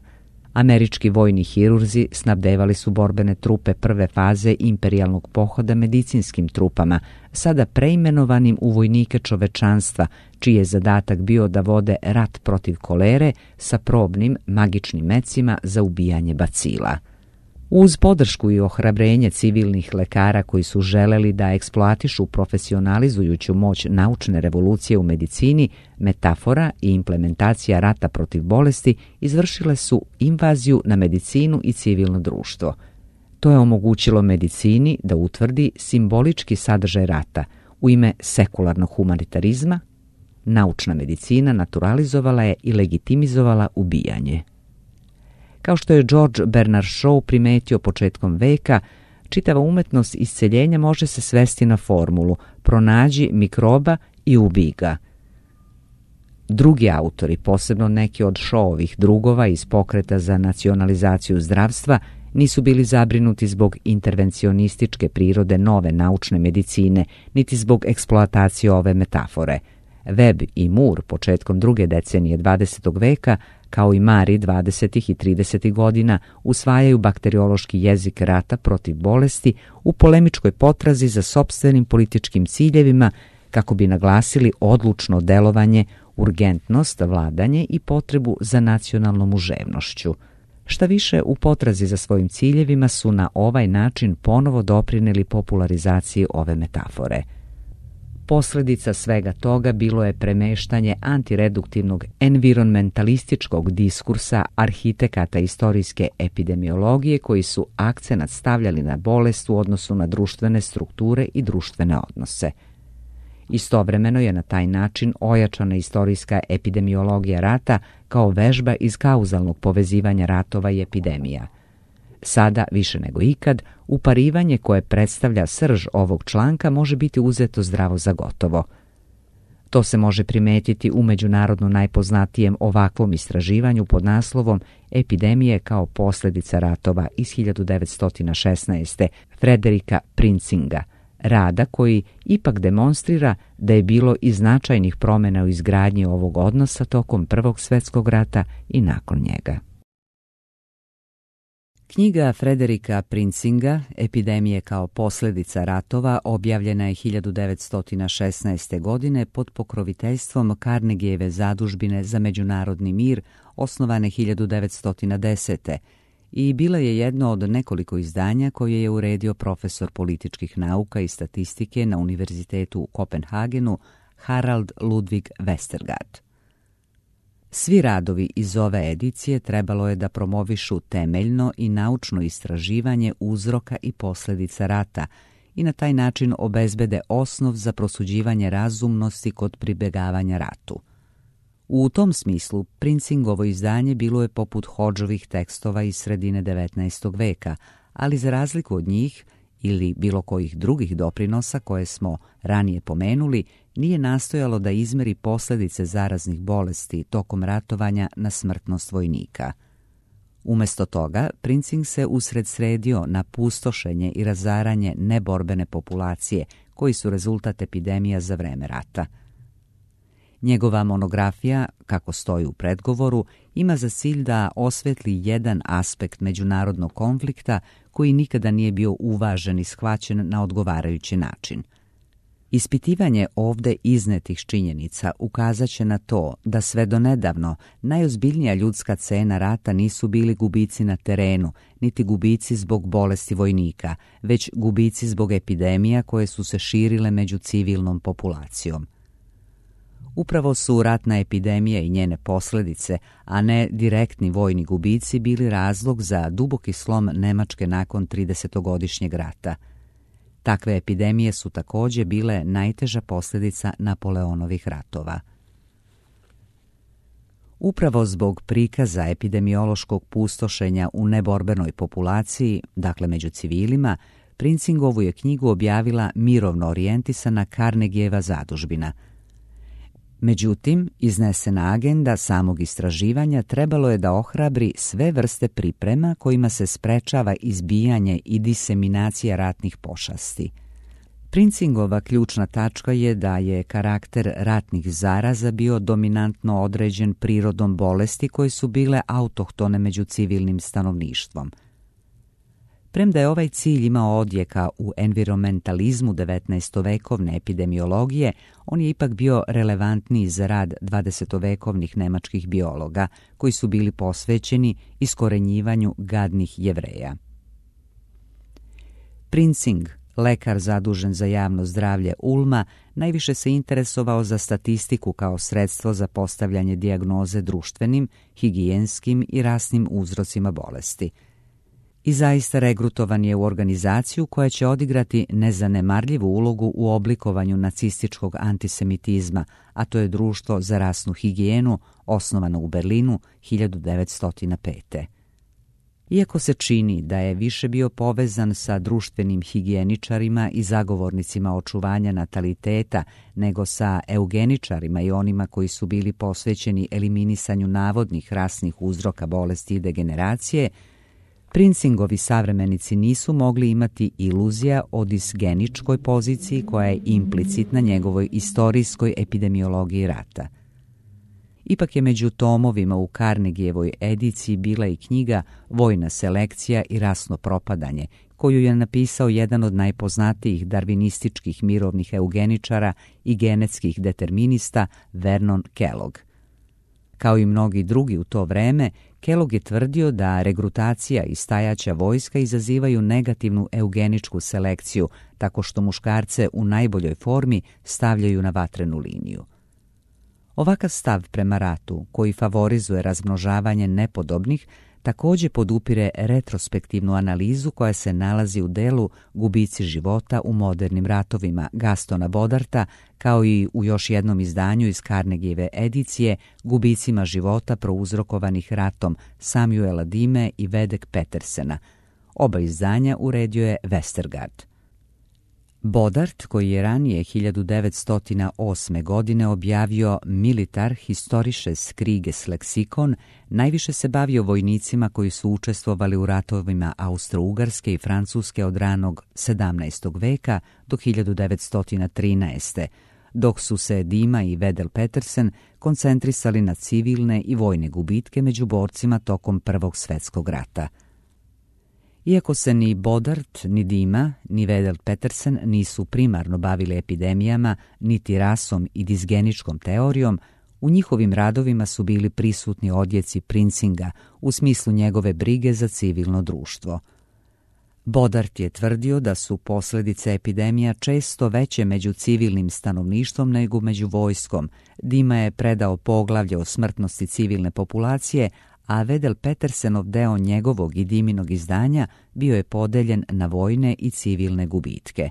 Američki vojni hirurzi snabdevali su borbene trupe prve faze imperijalnog pohoda medicinskim trupama, sada preimenovanim u vojnike čovečanstva, čiji je zadatak bio da vode rat protiv kolere sa probnim magičnim mecima za ubijanje bacila. Uz podršku i ohrabrenje civilnih lekara koji su želeli da eksploatišu profesionalizujuću moć naučne revolucije u medicini, metafora i implementacija rata protiv bolesti izvršile su invaziju na medicinu i civilno društvo. To je omogućilo medicini da utvrdi simbolički sadržaj rata u ime sekularnog humanitarizma. Naučna medicina naturalizovala je i legitimizovala ubijanje. Kao što je George Bernard Shaw primetio početkom veka, čitava umetnost isceljenja može se svesti na formulu pronađi mikroba i ubij ga. Drugi autori, posebno neki od Shawovih drugova iz pokreta za nacionalizaciju zdravstva, nisu bili zabrinuti zbog intervencionističke prirode nove naučne medicine, niti zbog eksploatacije ove metafore. Webb i Moore početkom druge decenije 20. veka, kao i Mari 20. i 30. godina, usvajaju bakteriološki jezik rata protiv bolesti u polemičkoj potrazi za sopstvenim političkim ciljevima kako bi naglasili odlučno delovanje, urgentnost, vladanje i potrebu za nacionalnom muževnošću. Šta više, u potrazi za svojim ciljevima su na ovaj način ponovo doprineli popularizaciji ove metafore. Posljedica svega toga bilo je premeštanje antireduktivnog environmentalističkog diskursa arhitekata istorijske epidemiologije koji su akcenat stavljali na bolest u odnosu na društvene strukture i društvene odnose. Istovremeno je na taj način ojačana istorijska epidemiologija rata kao vežba iz kauzalnog povezivanja ratova i epidemija. Sada, više nego ikad, uparivanje koje predstavlja srž ovog članka može biti uzeto zdravo za gotovo. To se može primetiti u međunarodno najpoznatijem ovakvom istraživanju pod naslovom Epidemije kao posljedica ratova iz 1916. Frederika Prinzinga, rada koji ipak demonstrira da je bilo i značajnih promjena u izgradnji ovog odnosa tokom Prvog svjetskog rata i nakon njega. Knjiga Frederika Prinzinga, Epidemije kao posljedica ratova, objavljena je 1916. godine pod pokroviteljstvom Carnegieve zadužbine za međunarodni mir, osnovane 1910. i bila je jedno od nekoliko izdanja koje je uredio profesor političkih nauka i statistike na Univerzitetu u Kopenhagenu Harald Ludwig Westergaard. Svi radovi iz ove edicije trebalo je da promovišu temeljno i naučno istraživanje uzroka i posljedica rata i na taj način obezbede osnov za prosuđivanje razumnosti kod pribjegavanja ratu. U tom smislu, Prinzingovo izdanje bilo je poput Hodžovih tekstova iz sredine 19. veka, ali za razliku od njih ili bilo kojih drugih doprinosa koje smo ranije pomenuli, nije nastojalo da izmeri posljedice zaraznih bolesti tokom ratovanja na smrtnost vojnika. Umjesto toga, Prinzing se usredsredio na pustošenje i razaranje neborbene populacije, koji su rezultat epidemija za vreme rata. Njegova monografija, kako stoji u predgovoru, ima za cilj da osvetli jedan aspekt međunarodnog konflikta koji nikada nije bio uvažen i shvaćen na odgovarajući način. Ispitivanje ovdje iznetih činjenica ukazat će na to da sve do nedavno najozbiljnija ljudska cena rata nisu bili gubici na terenu, niti gubici zbog bolesti vojnika, već gubici zbog epidemija koje su se širile među civilnom populacijom. Upravo su ratna epidemija i njene posljedice, a ne direktni vojni gubici, bili razlog za duboki slom Nemačke nakon 30-godišnjeg rata. Takve epidemije su također bile najteža posljedica Napoleonovih ratova. Upravo zbog prikaza epidemiološkog pustošenja u neborbenoj populaciji, dakle među civilima, Prinzingovu je knjigu objavila mirovno orijentisana Carnegieva zadužbina. Međutim, iznesena agenda samog istraživanja trebalo je da ohrabri sve vrste priprema kojima se sprečava izbijanje i diseminacija ratnih pošasti. Princingova ključna tačka je da je karakter ratnih zaraza bio dominantno određen prirodom bolesti koje su bile autohtone među civilnim stanovništvom. Premda je ovaj cilj imao odjeka u environmentalizmu 19-vekovne epidemiologije, on je ipak bio relevantniji za rad 20-vekovnih nemačkih biologa, koji su bili posvećeni iskorenjivanju gadnih Jevreja. Prinzing, lekar zadužen za javno zdravlje Ulma, najviše se interesovao za statistiku kao sredstvo za postavljanje dijagnoze društvenim, higijenskim i rasnim uzrocima bolesti. I zaista regrutovan je u organizaciju koja će odigrati nezanemarljivu ulogu u oblikovanju nacističkog antisemitizma, a to je Društvo za rasnu higijenu, osnovano u Berlinu 1905. Iako se čini da je više bio povezan sa društvenim higijeničarima i zagovornicima očuvanja nataliteta nego sa eugeničarima i onima koji su bili posvećeni eliminisanju navodnih rasnih uzroka bolesti i degeneracije, Prinzingovi savremenici nisu mogli imati iluzija o disgeničkoj poziciji koja je implicitna njegovoj istorijskoj epidemiologiji rata. Ipak je među tomovima u Carnegievoj ediciji bila i knjiga Vojna selekcija i rasno propadanje, koju je napisao jedan od najpoznatijih darvinističkih mirovnih eugeničara i genetskih determinista Vernon Kellogg. Kao i mnogi drugi u to vreme, Kellogg je tvrdio da regrutacija i stajaća vojska izazivaju negativnu eugeničku selekciju, tako što muškarce u najboljoj formi stavljaju na vatrenu liniju. Ovakav stav prema ratu, koji favorizuje razmnožavanje nepodobnih, također podupire retrospektivnu analizu koja se nalazi u delu Gubici života u modernim ratovima Gastona Bodarta, kao i u još jednom izdanju iz Carnegieve edicije Gubicima života prouzrokovanih ratom Samuela Dime i Vedek Petersena. Oba izdanja uredio je Westergaard. Bodart, koji je ranije 1908. godine objavio Militar historisches Krieges leksikon, najviše se bavio vojnicima koji su učestvovali u ratovima Austro-Ugarske i Francuske od ranog 17. veka do 1913. dok su se Dima i Vedel Petersen koncentrisali na civilne i vojne gubitke među borcima tokom Prvog svjetskog rata. Iako se ni Bodart, ni Dima, ni Vedel Petersen nisu primarno bavili epidemijama, niti rasom i disgeničkom teorijom, u njihovim radovima su bili prisutni odjeci Prinzinga u smislu njegove brige za civilno društvo. Bodart je tvrdio da su posljedice epidemija često veće među civilnim stanovništvom nego među vojskom. Dima je predao poglavlje o smrtnosti civilne populacije, a Vedel Petersenov deo njegovog i Diminog izdanja bio je podeljen na vojne i civilne gubitke.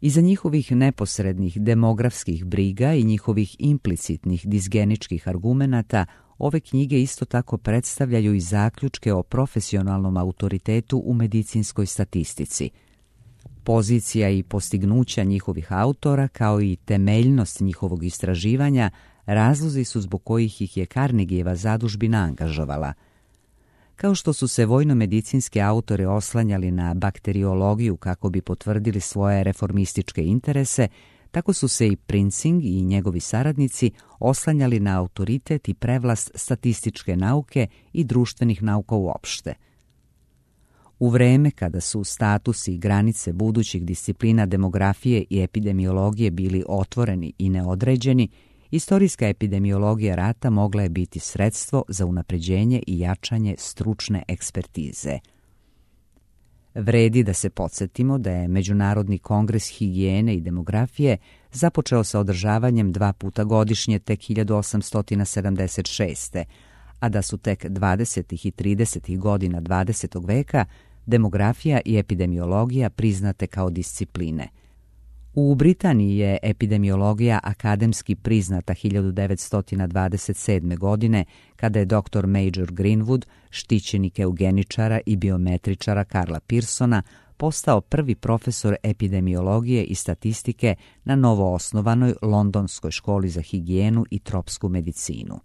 Iza njihovih neposrednih demografskih briga i njihovih implicitnih disgeničkih argumenata, ove knjige isto tako predstavljaju i zaključke o profesionalnom autoritetu u medicinskoj statistici. Pozicija i postignuća njihovih autora, kao i temeljnost njihovog istraživanja, razlozi su zbog kojih ih je Carnegieva zadužbina angažovala. Kao što su se vojno-medicinske autore oslanjali na bakteriologiju kako bi potvrdili svoje reformističke interese, tako su se i Prinzing i njegovi saradnici oslanjali na autoritet i prevlast statističke nauke i društvenih nauka uopšte. U vreme kada su statusi i granice budućih disciplina demografije i epidemiologije bili otvoreni i neodređeni, istorijska epidemiologija rata mogla je biti sredstvo za unapređenje i jačanje stručne ekspertize. Vredi da se podsjetimo da je Međunarodni kongres higijene i demografije započeo sa održavanjem 2 puta godišnje tek 1876. a da su tek 20. i 30. godina 20. veka demografija i epidemiologija priznate kao discipline. U Britaniji je epidemiologija akademski priznata 1927. godine, kada je dr. Major Greenwood, štićenik eugeničara i biometričara Karla Pearsona, postao prvi profesor epidemiologije i statistike na novoosnovanoj Londonskoj školi za higijenu i tropsku medicinu.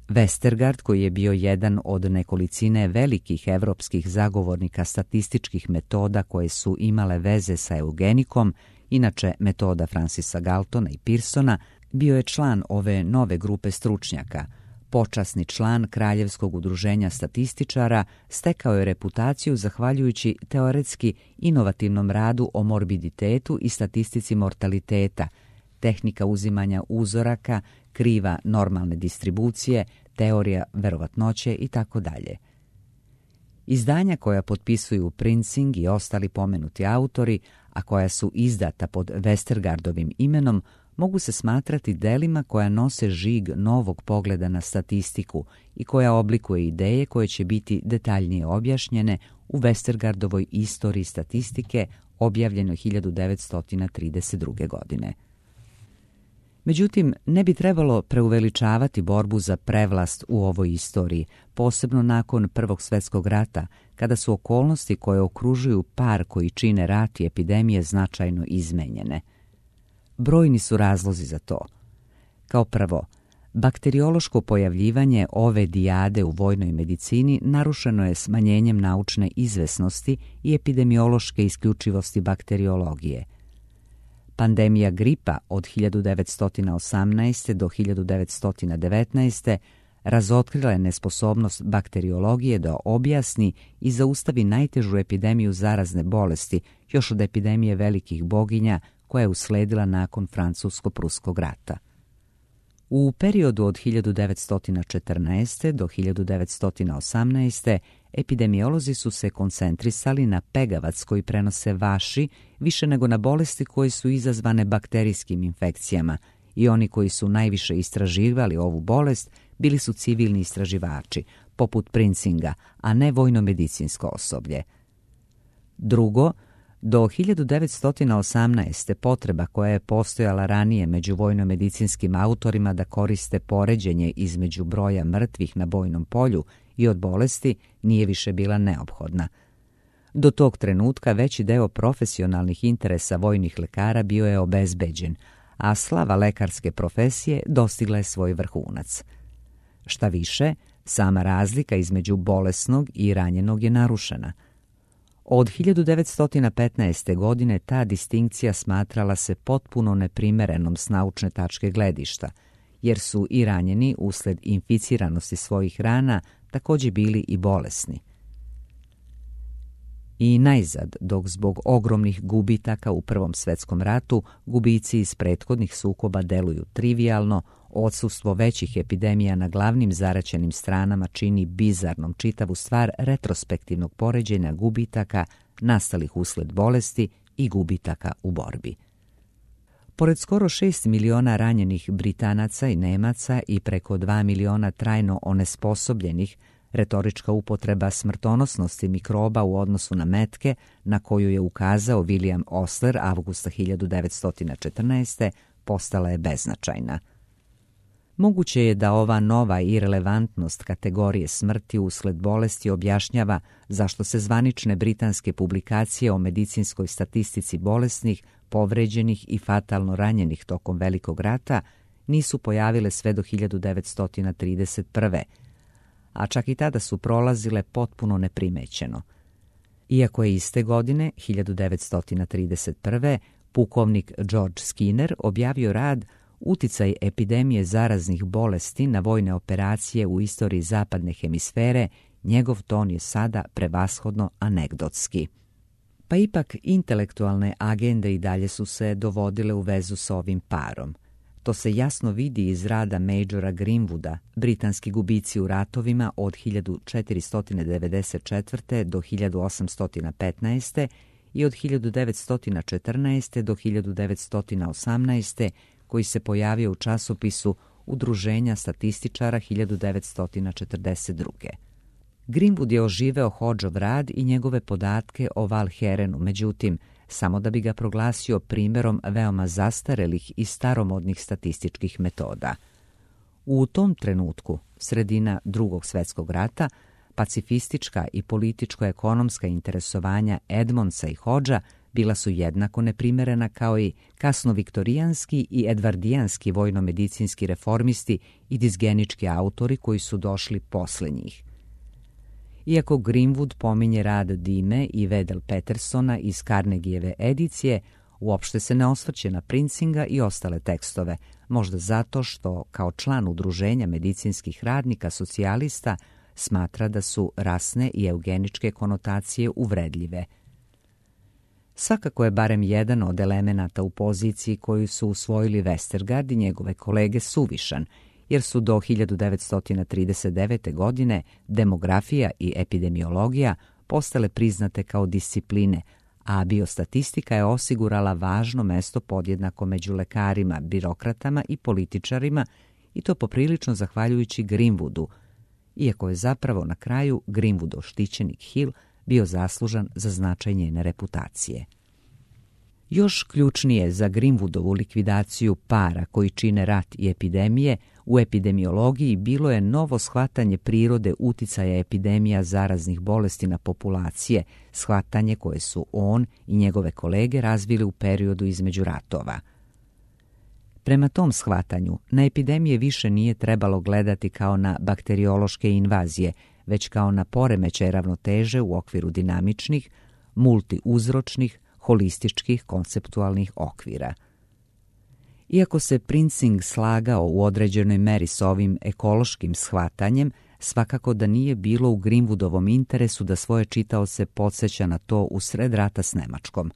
Westergaard, koji je bio jedan od nekolicine velikih evropskih zagovornika statističkih metoda koje su imale veze sa eugenikom, inače metoda Francisa Galtona i Pearsona, bio je član ove nove grupe stručnjaka. Počasni član Kraljevskog udruženja statističara, stekao je reputaciju zahvaljujući teoretski inovativnom radu o morbiditetu i statistici mortaliteta, tehnika uzimanja uzoraka, kriva normalne distribucije, teorija verovatnoće itd. Izdanja koja potpisuju Prinzing i ostali pomenuti autori, a koja su izdata pod Westergaardovim imenom, mogu se smatrati delima koja nose žig novog pogleda na statistiku i koja oblikuje ideje koje će biti detaljnije objašnjene u Westergaardovoj istoriji statistike objavljenoj 1932. godine. Međutim, ne bi trebalo preuveličavati borbu za prevlast u ovoj istoriji, posebno nakon Prvog svjetskog rata, kada su okolnosti koje okružuju par koji čine rat i epidemije značajno izmenjene. Brojni su razlozi za to. Kao prvo, bakteriološko pojavljivanje ove dijade u vojnoj medicini narušeno je smanjenjem naučne izvesnosti i epidemiološke isključivosti bakteriologije. Pandemija gripa od 1918. do 1919. razotkrila je nesposobnost bakteriologije da objasni i zaustavi najtežu epidemiju zarazne bolesti još od epidemije velikih boginja koja je usledila nakon Francusko-pruskog rata. U periodu od 1914. do 1918. epidemiolozi su se koncentrisali na pegavac koji prenose vaši više nego na bolesti koje su izazvane bakterijskim infekcijama i oni koji su najviše istraživali ovu bolest bili su civilni istraživači, poput Prinzinga, a ne vojno-medicinsko osoblje. Drugo, do 1918. potreba koja je postojala ranije među vojno-medicinskim autorima da koriste poređenje između broja mrtvih na bojnom polju i od bolesti nije više bila neophodna. Do tog trenutka veći deo profesionalnih interesa vojnih lekara bio je obezbeđen, a slava lekarske profesije dostigla je svoj vrhunac. Šta više, sama razlika između bolesnog i ranjenog je narušena. Od 1915. godine ta distinkcija smatrala se potpuno neprimerenom s naučne tačke gledišta, jer su i ranjeni usled inficiranosti svojih rana također bili i bolesni. I najzad, dok zbog ogromnih gubitaka u Prvom svjetskom ratu gubici iz prethodnih sukoba deluju trivijalno, odsustvo većih epidemija na glavnim zaraćenim stranama čini bizarnom čitavu stvar retrospektivnog poređenja gubitaka nastalih usled bolesti i gubitaka u borbi. Pored skoro 6 miliona ranjenih Britanaca i Nemaca i preko 2 miliona trajno onesposobljenih, retorička upotreba smrtonosnosti mikroba u odnosu na metke, na koju je ukazao William Osler avgusta 1914. postala je beznačajna. Moguće je da ova nova irelevantnost kategorije smrti usled bolesti objašnjava zašto se zvanične britanske publikacije o medicinskoj statistici bolesnih, povređenih i fatalno ranjenih tokom Velikog rata nisu pojavile sve do 1931. a čak i tada su prolazile potpuno neprimećeno. Iako je iste godine, 1931. pukovnik George Skinner objavio rad Uticaj epidemije zaraznih bolesti na vojne operacije u istoriji zapadne hemisfere, njegov ton je sada prevashodno anegdotski. Pa ipak intelektualne agende i dalje su se dovodile u vezu s ovim parom. To se jasno vidi iz rada Majora Greenwooda, britanski gubici u ratovima od 1494. do 1815. i od 1914. do 1918. koji se pojavio u časopisu Udruženja statističara 1942. Greenwood je oživeo Hodgeov rad i njegove podatke o Val Herenu, međutim, samo da bi ga proglasio primjerom veoma zastarelih i staromodnih statističkih metoda. U tom trenutku, sredina Drugog svjetskog rata, pacifistička i političko-ekonomska interesovanja Edmondsa i Hodgea bila su jednako neprimerena kao i kasnoviktorijanski i edvardijanski vojno-medicinski reformisti i dizgenički autori koji su došli posle njih. Iako Greenwood pominje rad Dime i Wedel Petersona iz Carnegieve edicije, uopšte se ne osvrće na Princinga i ostale tekstove, možda zato što, kao član udruženja medicinskih radnika socijalista, smatra da su rasne i eugeničke konotacije uvredljive. Svakako je barem jedan od elemenata u poziciji koju su usvojili Westergaard i njegove kolege suvišan, jer su do 1939. godine demografija i epidemiologija postale priznate kao discipline, a biostatistika je osigurala važno mesto podjednako među lekarima, birokratama i političarima, i to poprilično zahvaljujući Greenwoodu, iako je zapravo na kraju Greenwoodov štićenik Hill bio zaslužan za značaj njene reputacije. Još ključnije za Greenwoodovu likvidaciju para koji čine rat i epidemije u epidemiologiji bilo je novo shvatanje prirode uticaja epidemija zaraznih bolesti na populacije, shvatanje koje su on i njegove kolege razvili u periodu između ratova. Prema tom shvatanju, na epidemije više nije trebalo gledati kao na bakteriološke invazije, već kao na poremećaj ravnoteže u okviru dinamičnih, multiuzročnih, holističkih konceptualnih okvira. Iako se Prinzing slagao u određenoj meri s ovim ekološkim shvatanjem, svakako da nije bilo u Greenwoodovom interesu da svoje čitaoce podsjeća na to u sred rata s Nemačkom.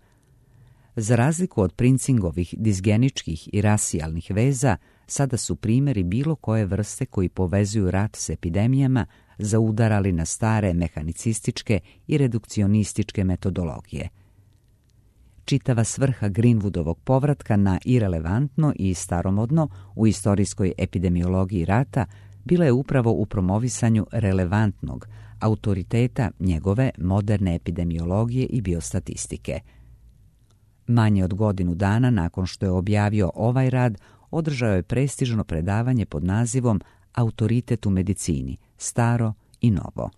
Za razliku od Prinzingovih dizgeničkih i rasijalnih veza, sada su primjeri bilo koje vrste koji povezuju rat s epidemijama zaudarali na stare mehanicističke i redukcionističke metodologije. Čitava svrha Greenwoodovog povratka na irelevantno i staromodno u istorijskoj epidemiologiji rata bila je upravo u promovisanju relevantnog autoriteta njegove moderne epidemiologije i biostatistike. Manje od godinu dana nakon što je objavio ovaj rad, održao je prestižno predavanje pod nazivom Autoritet u medicini, staro i novo.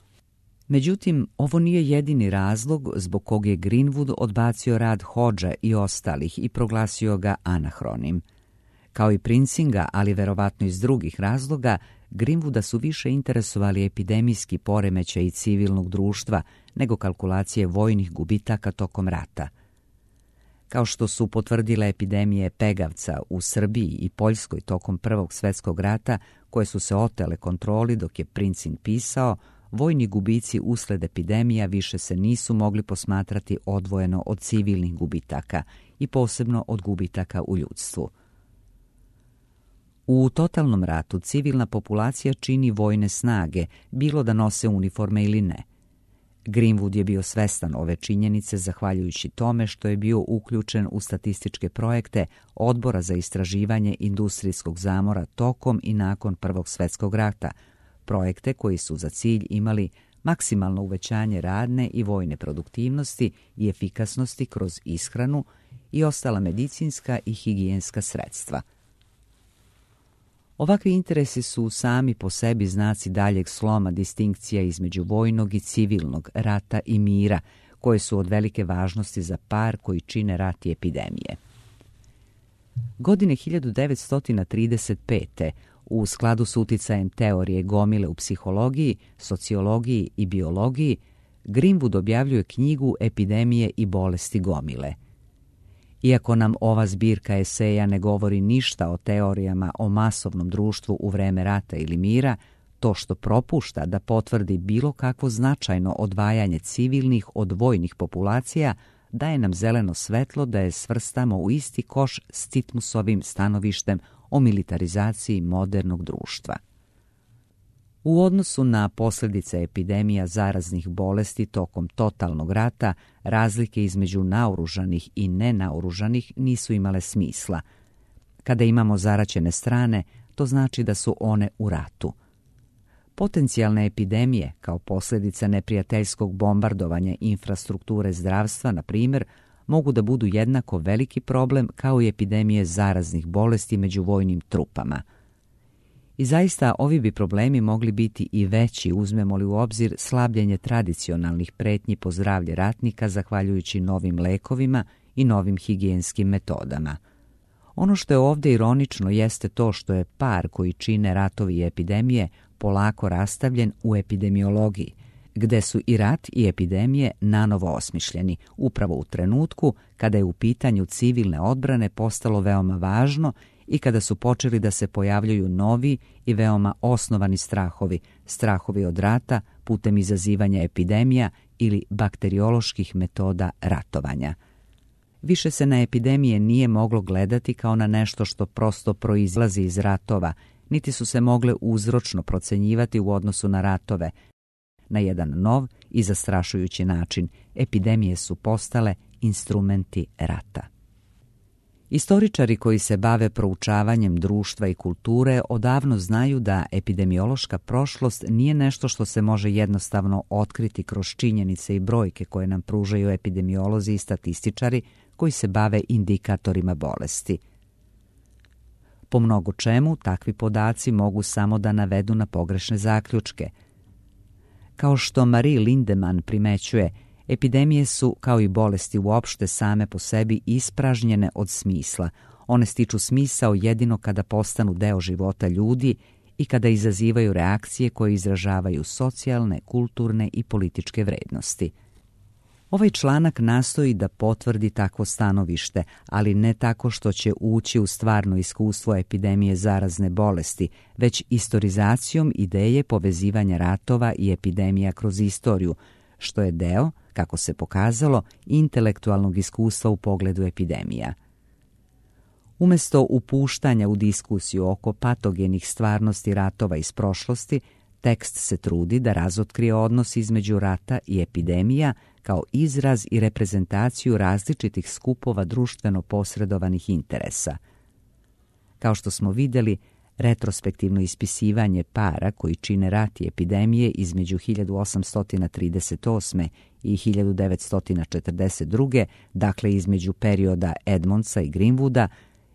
Međutim, ovo nije jedini razlog zbog kog je Greenwood odbacio rad Hodgea i ostalih i proglasio ga anahronim. Kao i Prinzinga, ali verovatno iz drugih razloga, Greenwooda su više interesovali epidemijski poremećaji civilnog društva nego kalkulacije vojnih gubitaka tokom rata. Kao što su potvrdile epidemije pegavca u Srbiji i Poljskoj tokom Prvog svjetskog rata, koje su se otele kontroli dok je Prinzing pisao, vojni gubici usled epidemija više se nisu mogli posmatrati odvojeno od civilnih gubitaka i posebno od gubitaka u ljudstvu. U totalnom ratu civilna populacija čini vojne snage, bilo da nose uniforme ili ne. Greenwood je bio svestan ove činjenice zahvaljujući tome što je bio uključen u statističke projekte Odbora za istraživanje industrijskog zamora tokom i nakon Prvog svjetskog rata, projekte koji su za cilj imali maksimalno uvećanje radne i vojne produktivnosti i efikasnosti kroz ishranu i ostala medicinska i higijenska sredstva. Ovakvi interesi su sami po sebi znaci daljeg sloma distinkcija između vojnog i civilnog, rata i mira, koje su od velike važnosti za par koji čine rat i epidemije. Godine 1935. u skladu s uticajem teorije gomile u psihologiji, sociologiji i biologiji, Greenwood objavljuje knjigu Epidemije i bolesti gomile. Iako nam ova zbirka eseja ne govori ništa o teorijama o masovnom društvu u vreme rata ili mira, to što propušta da potvrdi bilo kakvo značajno odvajanje civilnih od vojnih populacija daje nam zeleno svetlo da je svrstamo u isti koš s Titmusovim stanovištem o militarizaciji modernog društva. U odnosu na posljedice epidemija zaraznih bolesti tokom totalnog rata, razlike između naoružanih i nenaoružanih nisu imale smisla. Kada imamo zaraćene strane, to znači da su one u ratu. Potencijalne epidemije, kao posljedica neprijateljskog bombardovanja infrastrukture zdravstva, na primjer, mogu da budu jednako veliki problem kao i epidemije zaraznih bolesti među vojnim trupama. I zaista ovi bi problemi mogli biti i veći uzmemo li u obzir slabljenje tradicionalnih pretnji po zdravlje ratnika zahvaljujući novim lekovima i novim higijenskim metodama. Ono što je ovdje ironično jeste to što je par koji čine ratovi i epidemije polako rastavljen u epidemiologiji, gde su i rat i epidemije nanovo osmišljeni, upravo u trenutku kada je u pitanju civilne odbrane postalo veoma važno i kada su počeli da se pojavljuju novi i veoma osnovani strahovi od rata putem izazivanja epidemija ili bakterioloških metoda ratovanja. Više se na epidemije nije moglo gledati kao na nešto što prosto proizlazi iz ratova, niti su se mogle uzročno procenjivati u odnosu na ratove. Na jedan nov i zastrašujući način epidemije su postale instrumenti rata. Istoričari koji se bave proučavanjem društva i kulture odavno znaju da epidemiološka prošlost nije nešto što se može jednostavno otkriti kroz činjenice i brojke koje nam pružaju epidemiolozi i statističari koji se bave indikatorima bolesti. Po mnogo čemu takvi podaci mogu samo da navedu na pogrešne zaključke. Kao što Marie Lindemann primećuje, epidemije su, kao i bolesti uopšte, same po sebi ispražnjene od smisla. One stiču smisao jedino kada postanu deo života ljudi i kada izazivaju reakcije koje izražavaju socijalne, kulturne i političke vrednosti. Ovaj članak nastoji da potvrdi takvo stanovište, ali ne tako što će ući u stvarno iskustvo epidemije zarazne bolesti, već istorizacijom ideje povezivanja ratova i epidemija kroz istoriju, što je deo, kako se pokazalo, intelektualnog iskustva u pogledu epidemija. Umesto upuštanja u diskusiju oko patogenih stvarnosti ratova iz prošlosti, tekst se trudi da razotkrije odnos između rata i epidemija kao izraz i reprezentaciju različitih skupova društveno posredovanih interesa. Kao što smo vidjeli, retrospektivno ispisivanje para koji čine rat i epidemije između 1838. i 1942. dakle između perioda Edmondsa i Greenwooda,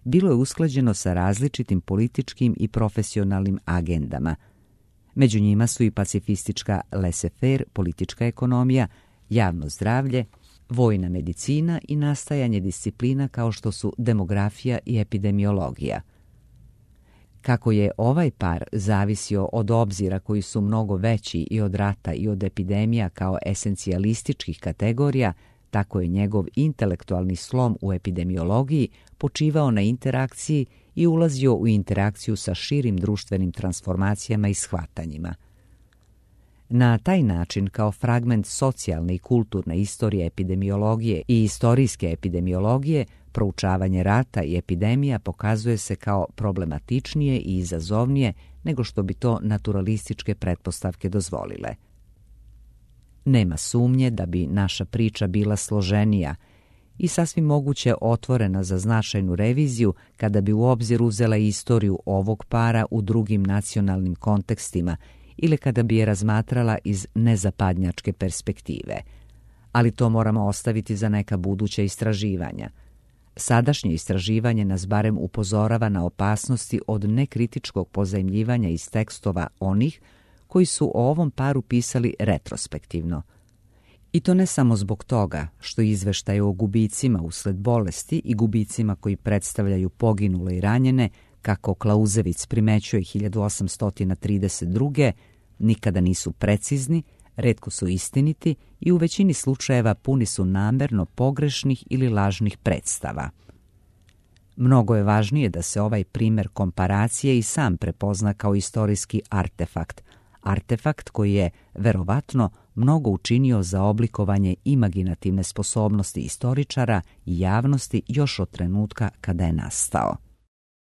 bilo je usklađeno sa različitim političkim i profesionalnim agendama. Među njima su i pacifistička laissez-faire, politička ekonomija, javno zdravlje, vojna medicina i nastajanje disciplina kao što su demografija i epidemiologija. Kako je ovaj par zavisio od obzira koji su mnogo veći i od rata i od epidemija kao esencijalističkih kategorija, tako je njegov intelektualni slom u epidemiologiji počivao na interakciji i ulazio u interakciju sa širim društvenim transformacijama i shvatanjima. Na taj način, kao fragment socijalne i kulturne istorije epidemiologije i istorijske epidemiologije, proučavanje rata i epidemija pokazuje se kao problematičnije i izazovnije nego što bi to naturalističke pretpostavke dozvolile. Nema sumnje da bi naša priča bila složenija i sasvim moguće otvorena za značajnu reviziju kada bi u obzir uzela istoriju ovog para u drugim nacionalnim kontekstima ili kada bi je razmatrala iz nezapadnjačke perspektive. Ali to moramo ostaviti za neka buduća istraživanja. Sadašnje istraživanje nas barem upozorava na opasnosti od nekritičkog pozajmljivanja iz tekstova onih koji su o ovom paru pisali retrospektivno. I to ne samo zbog toga što izveštaje o gubicima usled bolesti i gubicima koji predstavljaju poginule i ranjene, kako Klauzevic primećuje 1832. nikada nisu precizni, retko su istiniti i u većini slučajeva puni su namerno pogrešnih ili lažnih predstava. Mnogo je važnije da se ovaj primjer komparacije i sam prepozna kao istorijski artefakt koji je, verovatno, mnogo učinio za oblikovanje imaginativne sposobnosti istoričara i javnosti još od trenutka kada je nastao.